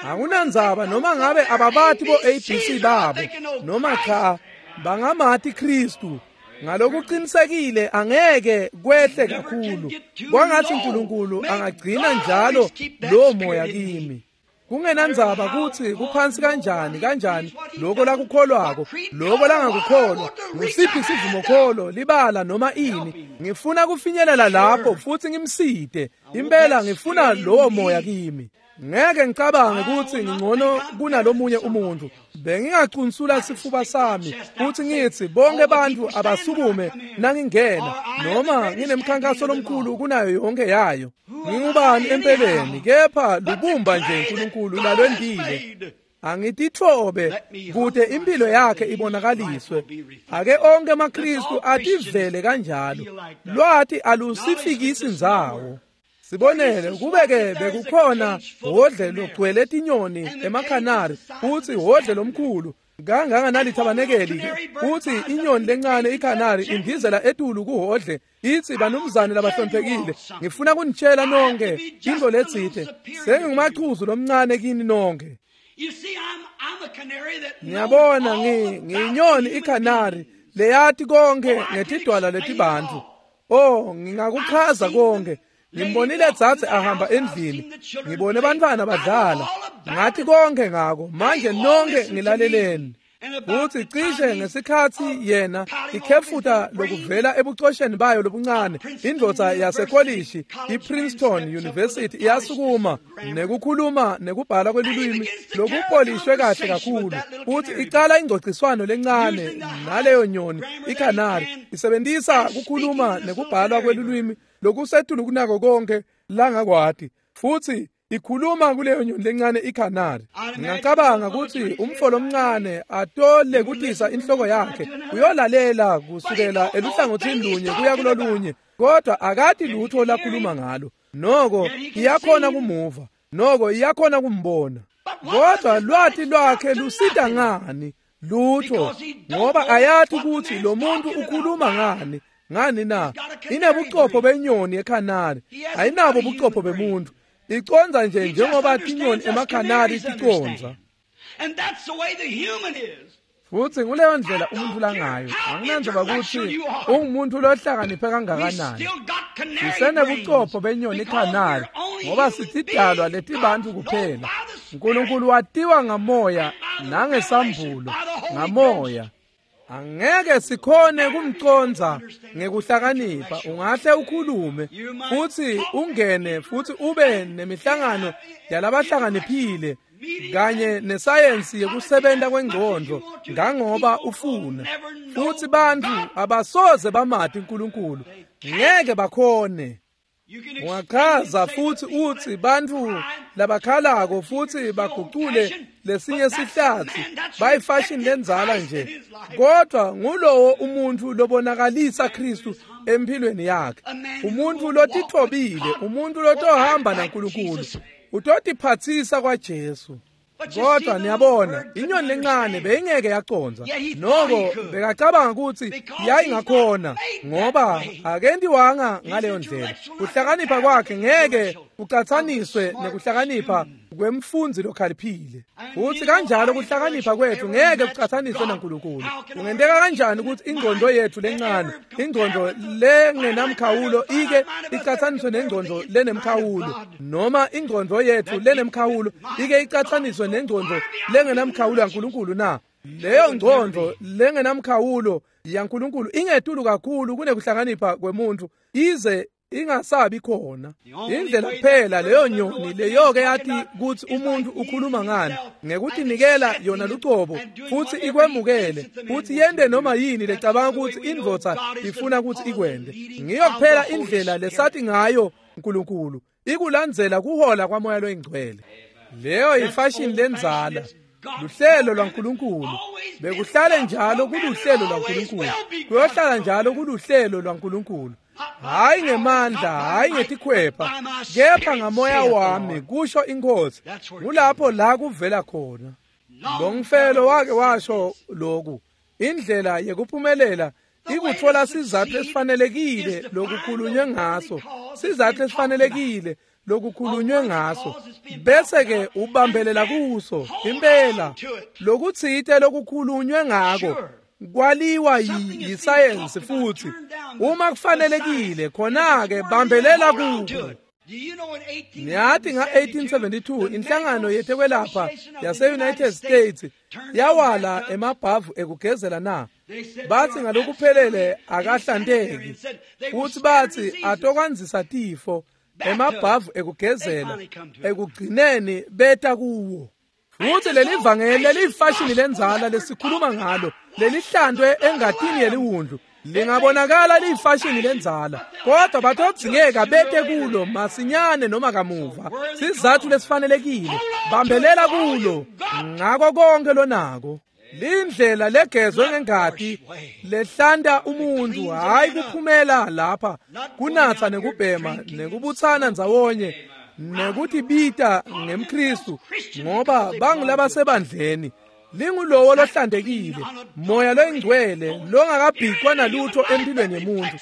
Akunandzaba noma ngabe ababati bo ABC babo noma cha, bangamati Kristu ngalokuqinisekile angeke kwehle kakhulu. Kwangathi uNkulunkulu angagcina njalo lo moya kimi. Kungenandzaba kutsi kuphansi kanjani kanjani lokho lakukholwako, lokho langakukholwa, ngusiphi sivumokholo, libala noma ini, ngifuna kufinyelela lapho futhi ngimsite. Impela ngifuna lowo moya kimi. Ngeke ngicabange ukuthi ngingcono kunalomunye umuntu. Bengingacunsula sifuba sami futhi ngithi bonke abantu abasukume nangingena, noma nginemkhankaso lomkhulu kunayo yonke yayo. Ngingubani empeleni? Kepha lubumba nje uNkulunkulu lalwendile. Angitithobe kude impilo yakhe ibonakaliswe. Ake onke amaKristu ativele kanjalo. Lwati alusifikisi ndzawo. Sibonele kube-ke bekukhona hhodle logcwele tinyoni emakhanari futhi hhodle lomkhulu kanganganalithabanekeli-ke, futhi inyoni lencane ikhanari indizela etulu kuhhodle ithi, banumzane labahloniphekile, ngifuna kunitshela nonke into letsite, sengingumachuzu lomncane kini nonke. Ngiyabona ngiyinyoni ikhanari leyati konke ngetidwala letibantfu. Oh, ngingakuchaza konke. Ngimbonile dzadze ahamba endlini, ngibone bantfwana badlala, ngathi konke ngako. Manje nonke ngilaleleni. Futsi cishe ngesikhatsi yena ikhefuta lokuvela ebucosheni bayo lobuncane, indvodza yasekolishi iPrinceton University iyasukuma nekukhuluma nekubhala kwelulwimi lokupolishwe kahle kakhulu, futsi icala ingcociswano lencane naleyo nyoni ikhanari, isebentisa kukhuluma nekubhalwa kwelulwimi lokusetulu kunako konke langakwati, futsi ikhuluma kuleyo nyoni lencane ikhanari. Ngingacabanga kutsi umfo lomncane atole kutisa inhloko yakhe uyolalela kusukela eluhlangothini lunye kuya kulolunye, kodwa akati lutho lakhuluma ngalo. Noko iyakhona kumuva, noko iyakhona kumbona, kodwa lwati lwakhe lusita ngani? Lutho, ngoba ayati kutsi lo muntu ukhuluma ngani. Ngani na? Inebucopho benyoni ekhanari, ayinabo bucopho bemuntu. Iconza nje njengoba tinyoni emakhanari ticonza. Futsi nguleyo ndlela umuntu langayo. Anginandzaba kutsi ungumuntu lohlakaniphe kangakanani, sisenebucopho benyoni ikhanari, ngoba sitidalwa letibantu kuphela. Nkulunkulu watiwa ngamoya nangesambulo ngamoya. Angeke sikhone kumconza ngekuhlakanipha. Ungahle ukhulume futsi ungene futsi ube nemihlangano yalabahlakaniphile kanye nesayensi yekusebenta kwengcondvo ngangoba ufuna, futsi bantfu abasoze bamati uNkulunkulu, ngeke bakhone. Ungachaza futsi utsi bantfu labakhalako futsi bagucule lesinye sihlatsi bayifashion lendzala nje, kodwa ngulowo umuntu lobonakalisa Kristu empilweni yakhe, umuntu lotithobile, umuntu lotohamba naNkulunkulu, utotiphatsisa kwaJesu. Kodwa niyabona, inyoni lencane beyingeke yaconza, noko bekacabanga kutsi yayingakhona, ngoba akentiwanga ngaleyo ndlela. Kuhlakanipha kwakhe ngeke kucatsaniswe nekuhlakanipha kwemfundzi lokhaliphile, futsi kanjalo kuhlakanipha kwethu ngeke kucatsaniswe naNkulunkulu. Kungenteka kanjani ukuthi ingqondo yethu lencane, ingqondo lengenamkhawulo, ike icatsaniswe nengqondo lenemkhawulo, noma ingqondo yethu lenemkhawulo ike icatsaniswe nengqondo lengenamkhawulo yaNkulunkulu na? Leyo ngqondo lengenamkhawulo yaNkulunkulu ingetulu kakhulu kunekuhlakanipha kwemuntu, ize ingasabi khona. Indlela kuphela leyo nyoni leyoke yathi kutsi umuntu ukhuluma ngani, ngekutinikela yona lucobo futsi ikwemukele futsi yente noma yini lecabanga kutsi indvodza ifuna kutsi ikwente. Ngiyo kuphela indlela lesathi ngayo uNkulunkulu, ikulandzela kuhola kwaMoya loyiNgcwele. Leyo yifashion lendzala, luhlelo lwaNkulunkulu. Bekuhlale njalo kuluhlelo lwaNkulunkulu, kuyohlala njalo kuluhlelo lwaNkulunkulu. Hayi ngemandla, hayi ngetikhwepha, kepha ngamoya wami, kusho iNkosi. Kulapho la kuvela khona. Longfellow wake washo lokhu, indlela yekuphumelela ikutfola sizatfu lesifanelekile lokukhulunywe ngaso, sizatfu lesifanelekile lokukhulunywe ngaso, bese-ke ubambelela kuso. Impela lokutsite lokukhulunywe ngako kwaliwa yisayensi, futhi uma kufanelekile khona-ke bambelela kuko. Niyathi nga-1872 inhlangano yetekwelapha yase-United States yawala emabhavu ekugezela na? Bathi ngalokuphelele akahlanteki, futhi bathi atokwandzisa tifo. Emabhavu ekugezela ekugcineni beta kuwo. Futsi lelivangeli leliyifashini lendzala lesikhuluma ngalo, lelihlantwe engatini yeliwundlu, lingabonakala liyifashini lendzala, kodwa batodzingeka bete kulo masinyane noma kamuva. Sizatfu lesifanelekile, bambelela kulo ngako konke lonako. Lindlela legezwe ngengati lehlanta umuntu, hayi kuphumela lapha kunatsa nekubhema nekubutsana ndzawonye nekutibita ngemKristu, ngoba bangulabasebandleni. Lingulowo lohlantekile, moya loyingcwele longakabhicwa nalutho empilweni yemuntu,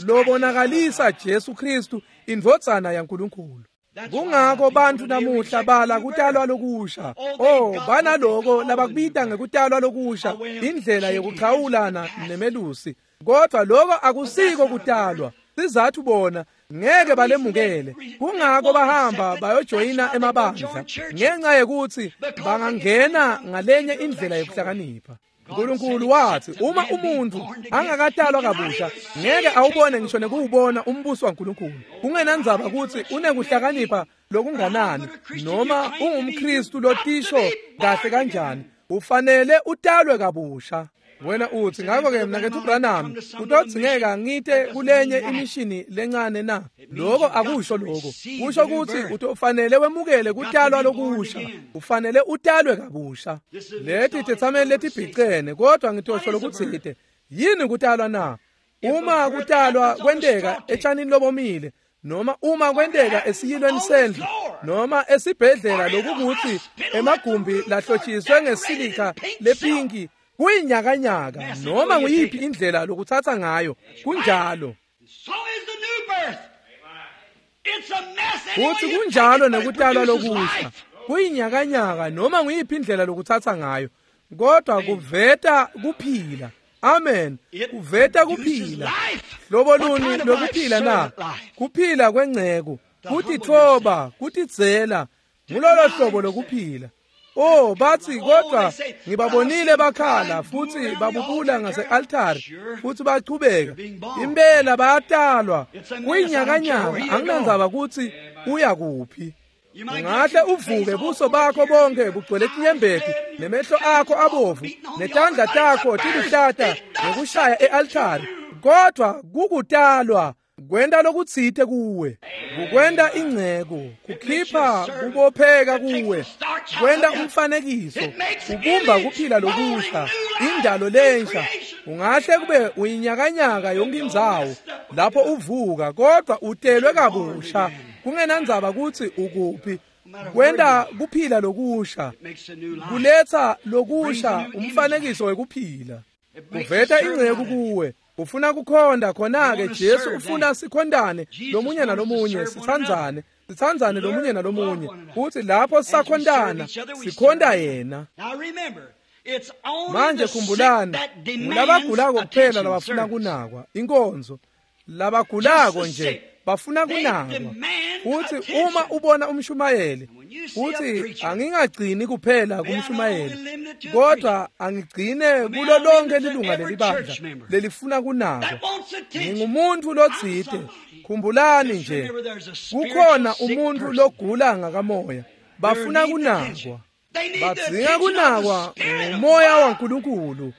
lobonakalisa Jesu Kristu indvodzana yaNkulunkulu. Kungako bantfu namuhla bala kutalwa lokusha. Oh, banaloko labakubita ngekutalwa lokusha, indlela yekuchawulana nemelusi. Kodwa loko akusiko kutalwa. Sizatfu bona ngeke balemukele. Kungako bahamba bayojoyina emabandla, ngenxa yekutsi bangangena ngalenye indlela yekuhlakanipha. Nkulunkulu wathi uma umuntu angakatalwa kabusha ngeke awubone ngisho nekuwubona umbuso waNkulunkulu. Kungenandzaba ukuthi unekuhlakanipha lokunganani noma ungumKristu lotisho kahle kanjani, ufanele utalwe kabusha. Wena uthi ngakho-ke mnaketfu Branham kutodzingeka ngite kulenye imishini lencane na? Lokho akusho lokho. Kusho ukuthi utofanele wemukele kutalwa lokusha, ufanele utalwe kabusha. Leti tetsameli letibhicene, kodwa ngitosho lokutsite. Yini kutalwa na? Uma kutalwa kwenteka etshanini lobomile, noma uma kwenteka esiyilweni sendlu, noma esibhedlela lokukuthi emagumbi lahlotshiswe ngesilika lepinki, kuyinyakanyaka noma nguyiphi indlela lokuthatha ngayo, kunjalo. Futhi kunjalo nekutalwa lokusha, kuyinyakanyaka noma nguyiphi indlela lokuthatha ngayo, kodwa kuveta kuphila. Amen. Kuveta kuphila. Hlobo luni lokuphila na? Kuphila kwengceko, kutitfoba, kutidzela, ngulolo hlobo lokuphila. Oh, bathi kodwa ngibabonile bakhala futhi babubula ngase-altari futhi bachubeka. Impela bayatalwa, kuyinyakanyaka, anginandzaba ukuthi uya kuphi. Ungahle uvuke buso bakho bonke bugcwele tinyembeti, nemehlo akho abovu, netandla takho tiluhlata ngekushaya e-altari, kodwa kukutalwa kwenta lokutsite kuwe, kukwenta ingceko, kukhipha kubopheka kuwe, kwenta umfanekiso, kubumba kuphila lokusha, indalo lensha. Ungahle kube uyinyakanyaka yonke indzawo lapho uvuka, kodwa utelwe kabusha, kungenandzaba kutsi ukuphi. Kwenta kuphila lokusha, kuletsa lokusha, umfanekiso wekuphila, kuveta ingceko kuwe. Ufuna kukhonda khona-ke Jesu ufuna sikhondane lomunye nalomunye, sitsandzane, sitsandzane lomunye nalomunye. Futhi lapho sisakhondana, sikhonda yena. Manje khumbulani, ngulabagulako kuphela labafuna kunakwa, inkonzo. Labagulako nje bafuna kunakwa. Futhi uma ubona umshumayeli, futhi angingagcini kuphela kumshumayeli, kodwa angigcine kulo lonke lilunga lelibandla lelifuna kunakwa. Ngingumuntu lotsite. Khumbulani nje, kukhona umuntu logula ngakamoya, bafuna kunakwa. Badzinga kunakwa ngumoya waNkulunkulu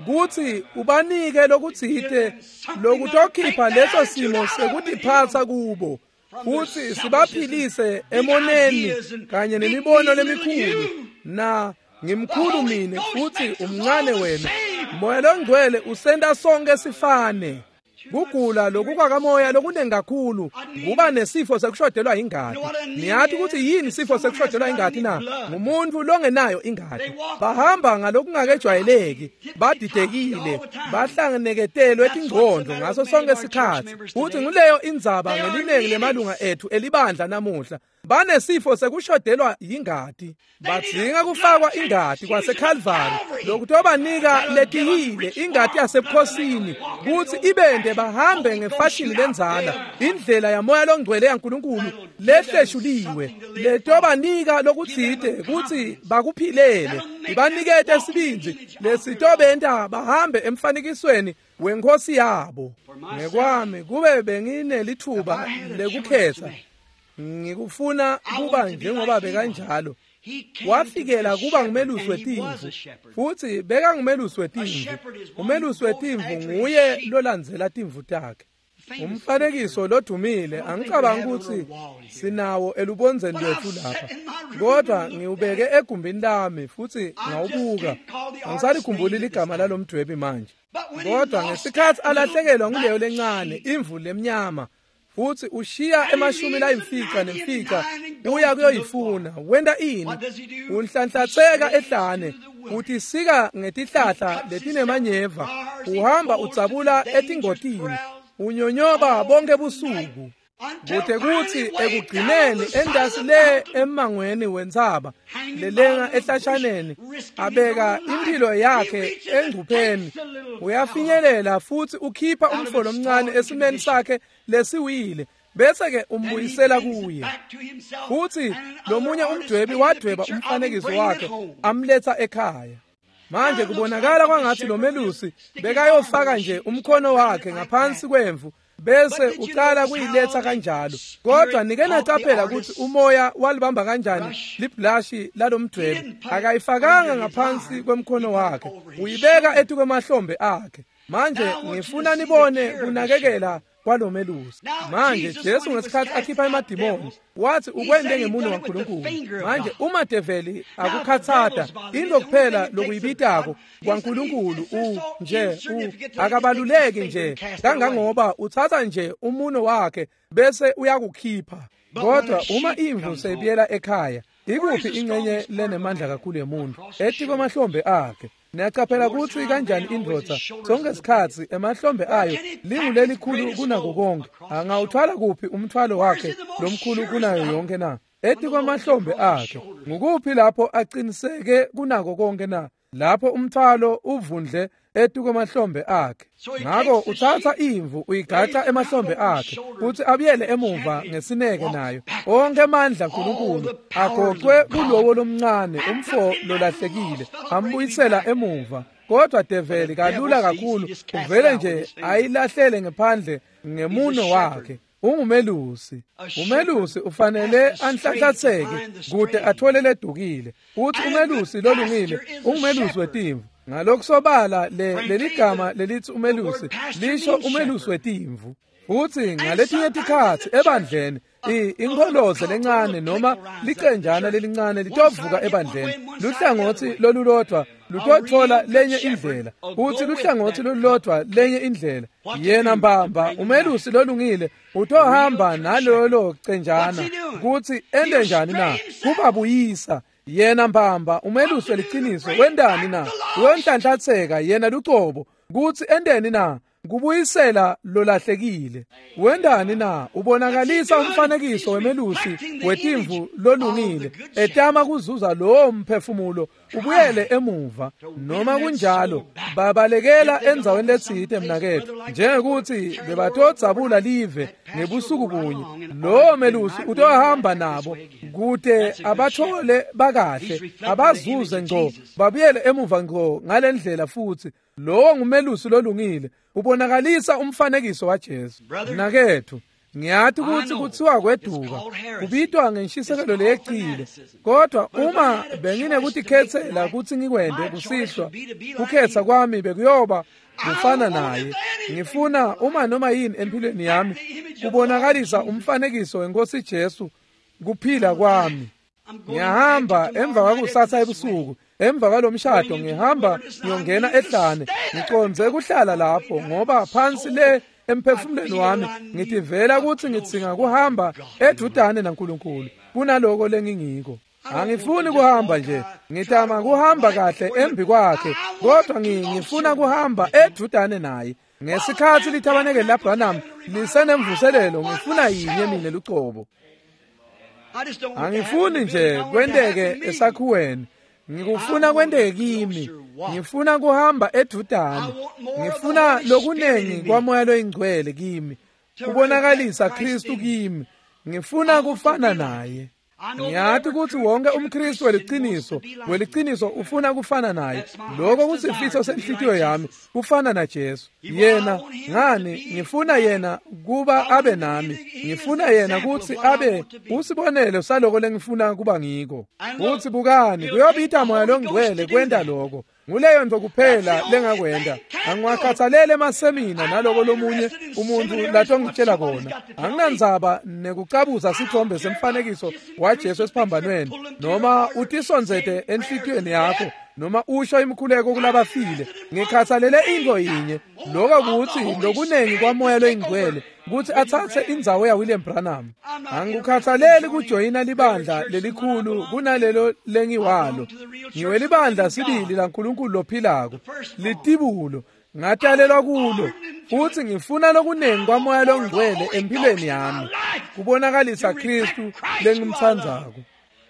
kutsi ubanike lokutsite lokutokhipha leso simo sekutiphatsa kubo, futsi sibaphilise emoneni kanye nemibono lemikhulu. Na ngimkhulu mine futhi umncane wena. Moya longcwele usenta sonke sifane. Kugula lokukwakamoya lokunengi kakhulu kuba nesifo sekushodelwa ingati. Niyathi ukuthi yini isifo sekushodelwa ingati na? Ngumuntu longenayo ingati. Bahamba ngalokungakejwayeleki, badidekile, bahlangeneketelwe tingqondo ngaso sonke isikhathi. Futhi nguleyo indzaba ngelinengi lemalunga ethu elibandla namuhla. Banesifo sekushodelwa yingati. Badzinga kufakwa ingati kwaseKalvari lokutobanika letiyile ingati yasebukhosini kutsi ibende bahambe ngefashini lenzala, indlela yamoya longcwele yaNkulunkulu lehleshuliwe, letobanika lokutsite kutsi bakuphilele, ibanikete sibindzi lesitobenta bahambe emfanekisweni wenkosi yabo. Ngekwami kube benginelithuba lekukhetha, ngikufuna kuba njengoba bekanjalo. Wafikela kuba ngumelusi wetimvu, futhi bekangumelusi wetimvu. Umelusi wetimvu nguye lolandzela timvu takhe. Umfanekiso lodumile angicabangi ukuthi sinawo elubondzeni lwethu lapha, kodwa ngiwubeke egumbini lami futhi ngawubuka. Angisalikhumbuli ligama lalomdwebi manje, kodwa ngesikhathi alahlekelwa nguleyo lencane imvu lemnyama, futhi ushiya emashumi layimfica nemfica uya kuyoyifuna. Wenta ini? Unhlanhlatseka ehlane, utisika ngetihlahla letinemanyeva, uhamba udzabula etingotini, unyonyoba bonke busuku, kute kutsi ekugcineni endasi le emmangweni wentsaba lelenga ehlashaneni, abeka impilo yakhe engcupheni. Uyafinyelela futhi ukhipha umfo lomncane esimeni sakhe lesiwile, bese-ke umbuyisela kuye. Futhi lomunye umdwebi wadweba umfanekiso wakhe amletha ekhaya. Manje kubonakala kwangathi lo melusi bekayofaka nje umkhono wakhe ngaphansi kwemvu bese uqala kuyiletha kanjalo. Kodwa nike naqaphela ukuthi umoya walibamba kanjani liblashi lalomdwebo. Akayifakanga ngaphansi kwemkhono wakhe, uyibeka etukwemahlombe akhe. Manje ngifuna nibone kunakekela kwalomelusi. Manje Jesu ngesikhathi akhipha emadimoni wathi ukwende ngemuno waNkulunkulu. Manje uma develi akukhathata into kuphela lokuyibitako kwaNkulunkulu nje akabaluleki nje kangangoba uthatha nje umuno wakhe bese uyakukhipha. Kodwa uma imvu seyibuyela ekhaya, ikuphi ingxenye lenemandla kakhulu yemuntu? Etikwemahlombe akhe. Niyaqaphela ukuthi kanjani indvodza sonke isikhathi emahlombe ayo lingulelikhulu kunako konke. Angawuthwala kuphi umthwalo wakhe lomkhulu kunayo yonke na? Etikwemahlombe akhe. Ngukuphi lapho aqiniseke kunako konke na? Lapho umthwalo uvundle etukwemahlombe akhe. Ngakho uthatha imvu uyigaxa emahlombe akhe uthi abuyele emuva ngesineke nayo. Onke amandla kaNkulunkulu agoqwe kulowo lomncane umfo lolahlekile ambuyisela emuva. Kodwa develi kalula kakhulu uvele nje ayilahlele ngephandle ngemuno wakhe. Ungumelusi. Umelusi ufanele anhlanhlatheke kude athole ledukile. Uthi umelusi lolungile ungumelusi wetimvu. Ngalokusobala leli gama lelithi umelusi lisho umelusi wetimvu. Futhi ngaletinye tikhatsi ebandleni inkoloze lencane noma licenjana lelincane litovuka ebandleni. Luhlangothi lolulodwa lutothola lenye indlela, futhi luhlangothi lolulodwa lenye indlela. Yena mbamba umelusi lolungile utohamba nalolo cenjana kuthi ende njani na? Kubabuyisa. Yena mbamba umelusi weliciniso wendani na? Uyonhlanhlatheka yena lucobo kuthi endeni na? Kubuyisela lolahlekile. Wendani na? Ubonakalisa umfanekiso wemelusi wetimvu lolungile etama kuzuza lowo mphefumulo ubuyele emuva. Noma kunjalo babalekela endzaweni letsite mnaketfu, njengekuthi bebatodzabula live ngebusuku bunye. Lowo melusi utohamba nabo kute abathole bakahle, abazuze ngco, babuyele emuva ngco ngalendlela. Futhi lowo ngumelusi lolungile ubonakalisa umfanekiso waJesu. Mnaketfu, ngiyathi ukuthi kuthiwa kweduka kubitwa ngenshisekelo leyecile, kodwa uma benginekutikhetsela ukuthi ngikwende kusihlwa, kukhetha kwami bekuyoba kufana naye. Ngifuna uma noma yini empilweni yami kubonakalisa umfanekiso wenkosi Jesu kuphila kwami. Ngiyahamba emva kwakusasa ebusuku, emva kwalomshado ngihamba ngiyongena ehlane, ngiconze kuhlala lapho ngoba phansi le emphefumulweni wami ngitivela ukuthi ngidzinga kuhamba edudane naNkulunkulu kunaloko lengingiko. Angifuni kuhamba nje, ngitama kuhamba kahle embi kwakhe, kodwa ngifuna kuhamba edudane naye. Ngesikhathi lithabanekeli laBranham lisenemvuselelo, ngifuna yinye mina lucobo. Angifuni nje kwenteke esakhiweni, ngikufuna kwenteke kimi. Ngifuna kuhamba edudane, ngifuna lokunengi kwamoya loyingcwele kimi, kubonakalisa Kristu kimi. Ngifuna kufana naye. Ngiyathi ukuthi wonke umKristu weliciniso ufuna kufana naye. Lokho kusifiso senhlitiyo yami, kufana naJesu. Yena ngani ngifuna yena kuba abe nami, ngifuna yena ukuthi abe usibonelo saloko lengifuna kuba ngiko. Futhi bukani, kuyobita moya longcwele kwenta lokho. Nguleyo nto kuphela lengakwenda. Angiwakhathalele emasemina naloko lomunye umuntu latongitshela kona. Anginandzaba nekucabuza sithombe semfanekiso waJesu esiphambanweni, noma utisondzete enhlitiyweni yakho, noma usho imikhuleko kulabafile. Ngikhathalele into yinye, lokho kuthi lokunengi kwamoya loyingcwele ukuthi athathe indzawo yaWilliam Branham. Angikukhathaleli kujoyina libandla lelikhulu kunalelo lengiwalo. Ngiwelibandla sibili laNkulunkulu lophilako, litibulo ngatalelwa kulo, futhi ngifuna lokunengi kwamoya longcwele empilweni yami kubonakalisa Kristu lengimtsandzako.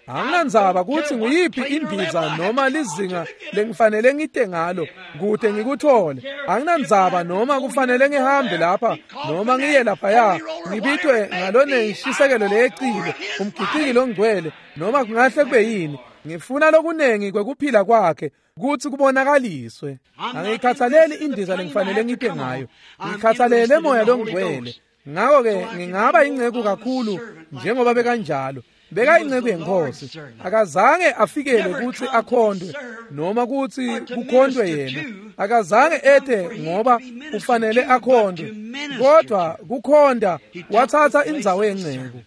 Anginandzaba ukuthi nguyiphi indiza noma lizinga lengifanele ngite ngalo kude ngikuthole. Anginandzaba noma kufanele ngihambe lapha noma ngiye laphaya, ngibitwe ngalone nshisekelo leyecile, umgiciki longcwele, noma kungahle kube yini. Ngifuna lokunengi kwekuphila kwakhe kutsi kubonakaliswe. Angikhathaleli indiza lengifanele ngite ngayo, ngikhathalele moya longcwele. Ngakho-ke ngingaba inceku kakhulu njengoba bekanjalo. Bekayinceku yenkosi. Akazange afikele kutsi akhondwe noma kutsi kukhondwe yena. Akazange ete ngoba ufanele akhondwe, kodwa kukhonda watsatsa indzawo yenceku.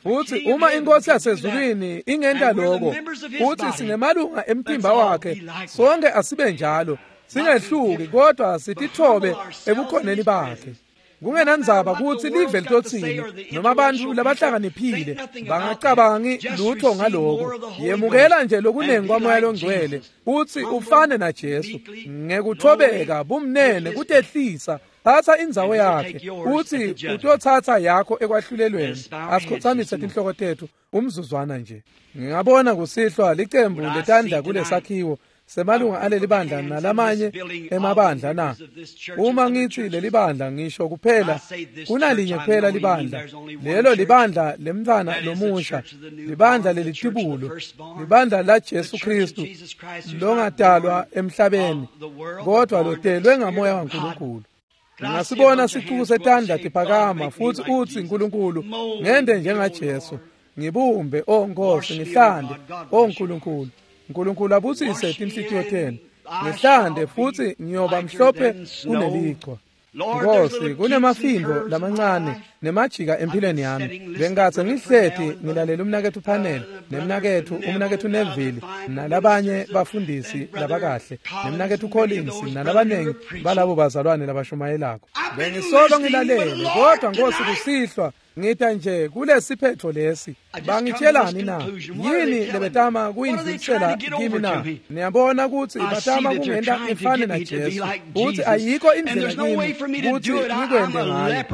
Futsi uma inkosi yasezulwini ingenta lokho, futsi singemalunga emtimba wakhe, sonke asibe njalo, singehluki kodwa sitithobe ebukhoneni bakhe. Kungenandzaba kutsi live litotsini noma abantu labahlakaniphile bangacabangi lutho ngaloko. Yemukela nje lokunengi kwamoya longcwele utsi ufane naJesu ngekuthobeka, bumnene, kutehlisa. Thatha indzawo yakhe utsi utotsatsa yakho ekwahlulelweni. Asikhotsamise tinhloko tetfu umzuzwana nje. Ngingabona kusihlwa licembu letandla kulesakhiwo semalunga aleli bandla nalamanye emabandla na. Uma ngithi leli bandla ngisho kuphela kunalinye kuphela libandla, lelo libandla lemntfwana lomusha, libandla lelitibulo, libandla la Jesu Kristu longadalwa emhlabeni kodwa lotelwe ngamoya waNkulunkulu. Ngingasibona sicuku setandla tiphakama futsi utsi Nkulunkulu ngende njengaJesu, ngibumbe o Nkosi, ngihlande o Nkulunkulu. Nkulunkulu abusise tinhlitiyo tenu, ngihlande futsi ngiyoba mhlophe kunelichwa. Nkosi, kunemafimbo lamancane nemajika empilweni yami. Bengatse ngihleti ngilalela umnaketfu Panel nemnaketfu umnaketfu Neville nalabanye bafundisi labakahle nemnaketfu Collins nalabanengi balabo bazalwane labashumayelako. Bengisolo ngilalele, kodwa Nkosi kusihlwa ngita nje kulesiphetho lesi. Bangitshelani na? Yini lebetama kuyindlulisela kimi na? Niyabona kutsi batama kungenta ngifane naJesu, kutsi ayikho indlela kimi kutsi ngikwente ngayo.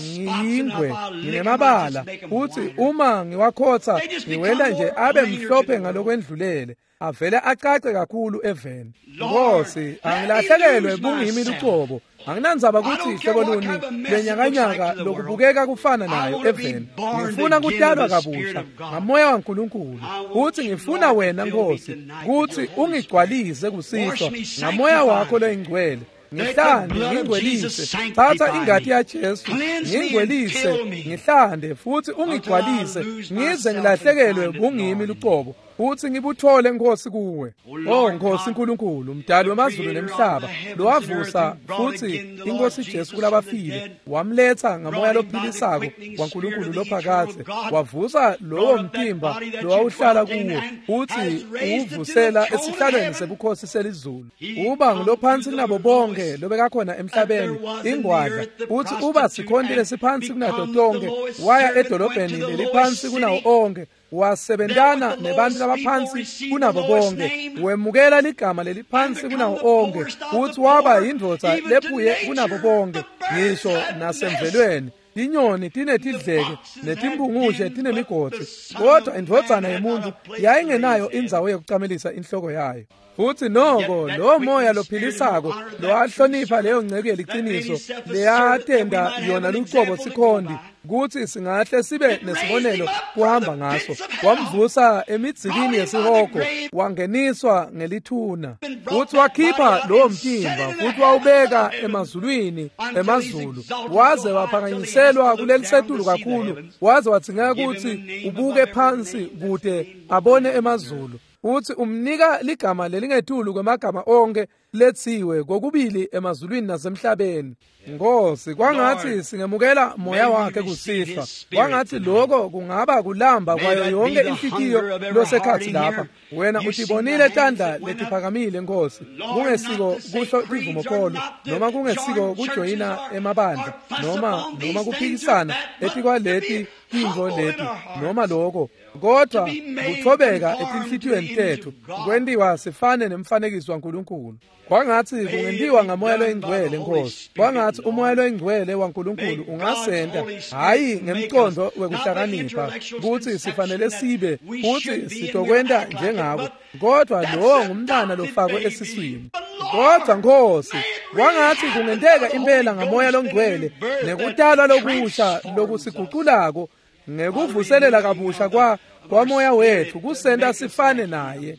Ngiyingwe, nginemabala, kutsi uma ngiwakhotsa ngiwenta nje abe mhlophe ngalokwendlulele, avele acace kakhulu eveni. Nkosi, angilahlekelwe bungimi lucobo. Anginandzaba kutsi hlobo luni lenyakanyaka lokubukeka kufana nayo eveni. Ngifuna kutalwa kabusha ngamoya waNkulunkulu. Utsi ngifuna wena Nkosi kutsi ungigcwalise kusihlwa ngamoya wakho loyingcwele. Ngihlande, ngingcwelise. Thatha ingati yaJesu, ngingcwelise, ngihlande futsi ungigcwalise ngize ngilahlekelwe bungimi lucobo. Utsi ngibuthole Nkosi kuwe. Oh Nkosi Nkulunkulu, mdali wemazulu nemhlaba, lowavusa futsi inkosi Jesu kulabafile, wamletsa ngamoya lophilisako waNkulunkulu lophakadze, wavusa lowo mtimba lowawuhlala kuwo, utsi uwuvusela esihlalweni sebukhosi selizulu. Uba ngulophansi kunabo bonke lobekakhona emhlabeni, ingwadla, utsi uba sikhonti lesiphansi kunato tonke, waya edolobheni leliphansi kunawo onke, wasebentana nebantu labaphansi kunabo bonke, wemukela ligama leliphansi kunawo onke, utsi waba yindvodza lephuye kunabo bonke, ngisho nasemvelweni. Tinyoni tinetidleke netimpungushe tinemigodzi, kodwa indvodzana yemuntu yayingenayo indzawo yekucamelisa inhloko yayo. Futsi noko lo moya lophilisako lowahlonipha leyo nceku yeliciniso leyatenda yona lucobo sikhondi kutsi singahle sibe nesibonelo kuhamba ngaso, wamvusa emidzikini yesihogo, wangeniswa ngelithuna, futsi wakhipha lowo mtimba futsi wawubeka emazulwini emazulu, waze waphakanyiselwa kulelisetulu kakhulu, waze wadzingeka kutsi ubuke phansi kute abone emazulu. Utsi umnika ligama lelingetulu kwemagama onke letsiwe kokubili emazulwini nasemhlabeni. Nkosi, kwangatsi singemukela moya wakhe kusihlwa. Kwangatsi lokho kungaba kulamba kwayo yonke inhlitiyo losekhatsi lapha. Wena utibonile tandla letiphakamile Nkosi, kungesiko kusho tivumokholo noma kungesiko kujoyina emabandla noma kuphikisana etikwaleti tintfo leti noma lokho, kodwa kuthobeka etinhlitiyweni tetfu kwentiwa sifane nemfanekiso waNkulunkulu. Kwangatsi kungentiwa ngamoya loyingcwele Nkosi. Kwangatsi umoya loyingcwele waNkulunkulu ungasenta, hhayi ngemcondo wekuhlakanipha kutsi sifanele sibe futsi sitokwenta njengako, kodwa lowo ngumntwana lofakwe esiswini. Kodwa Nkosi, kwangatsi kungenteka impela ngamoya longcwele nekutalwa lokusha lokusiguculako ngekuvuselela kabusha kwa kwamoya wethu kusenta sifane naye.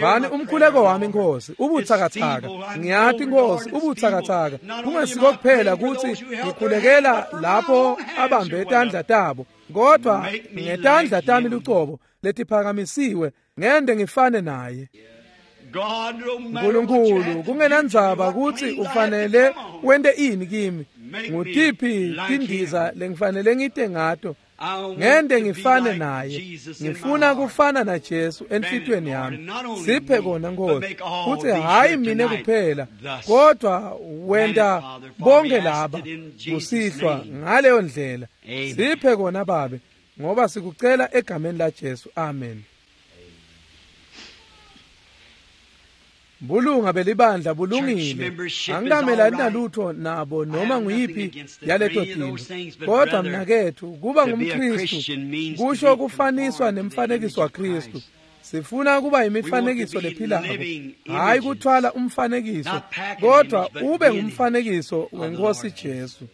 Vani umkhuleko wami Nkosi ubutsakatsaka, ngiyati Nkosi ubutsakatsaka, kungesiko kuphela kutsi ngikhulekela lapho abambe tandla tabo, kodwa ngetandla tami lucobo letiphakamisiwe ngende ngifane naye. Nkulunkulu, kungenandzaba kutsi ufanele wente ini kimi, ngutiphi tindiza lengifanele ngite ngato, ngende ngifane naye. Ngifuna kufana na Jesu enhlitiyweni yami. Siphe kona Nkosi, futsi hayi mine kuphela, kodwa wenta bonke laba kusihlwa ngaleyo ndlela. Siphe kona Babe, ngoba sikucela egameni la Jesu. Amen. Bulunga belibandla bulungile, angikamelani nalutho nabo noma nguyiphi yaleto tintfo, kodwa mnaketfu kuba ngumKristu kusho kufaniswa nemfanekiso waKristu. Sifuna kuba imifanekiso lephilako, hayi kuthwala umfanekiso, kodwa ube ngumfanekiso weNkosi Jesu.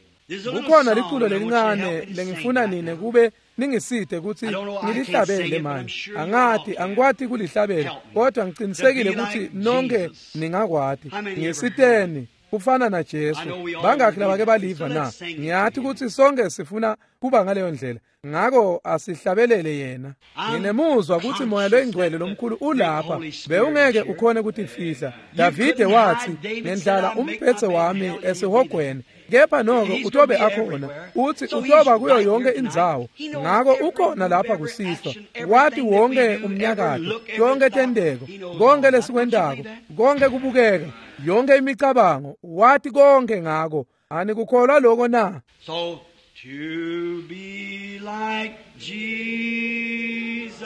Kukhona liculo lelincane lengifuna nine kube ningiside kutsi ngilihlabele manje. Angati, angikwati kulihlabela, kodwa ngicinisekile kutsi nonke ningakwati. Ngisiteni kufana na Jesu. Bangakhi labake baliva na? Ngiyati kutsi sonke sifuna kuba ngaleyo ndlela, ngako asihlabelele yena. Nginemuzwa kutsi Moya loyingcwele lomkhulu ulapha, bewungeke ukhone kutifihla. Davide watsi, ngendlala umbhedze wami esihogweni, kepha noko utobe akhona. Uthi utoba kuyo yonke indzawo, ngako ukhona lapha kusihlwa. Wati wonke umnyakato, yonke tendeko, konke lesikwentako, konke kubukeka, yonke imicabango, wati konke ngako. Anikukholwa lokho na? So to be like Jesus,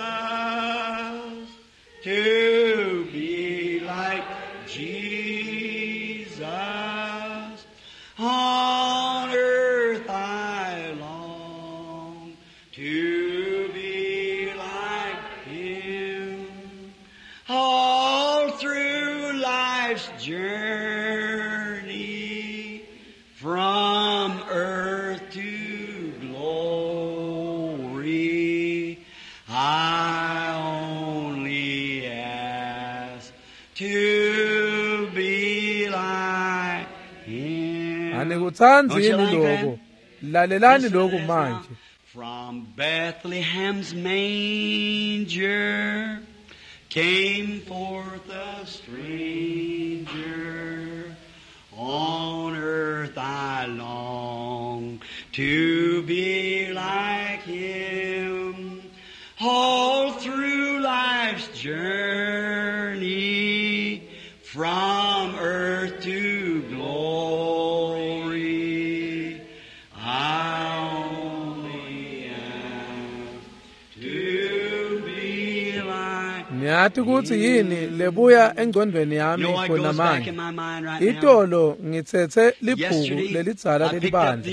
to be like Jesus, on earth I long to be like Him, all through life's journey from earth to glory. I only ask to be like Him. Anikutsanzi yini lokho? Lalelani lokhu manje. From Bethlehem's manger came forth a stranger. On earth I long to be like Him. All through life's journey, from earth to glory, I only ask to be like. Ngiyati kutsi yini lebuya engcondweni yami khona manje. Itolo ngitsetse libhuku lelidzala lelibandla,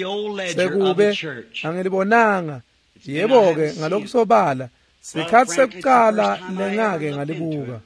sekube angilibonanga. Yebo-ke, ngalokusobala sikhatsi sekucala lengake ngalibuka.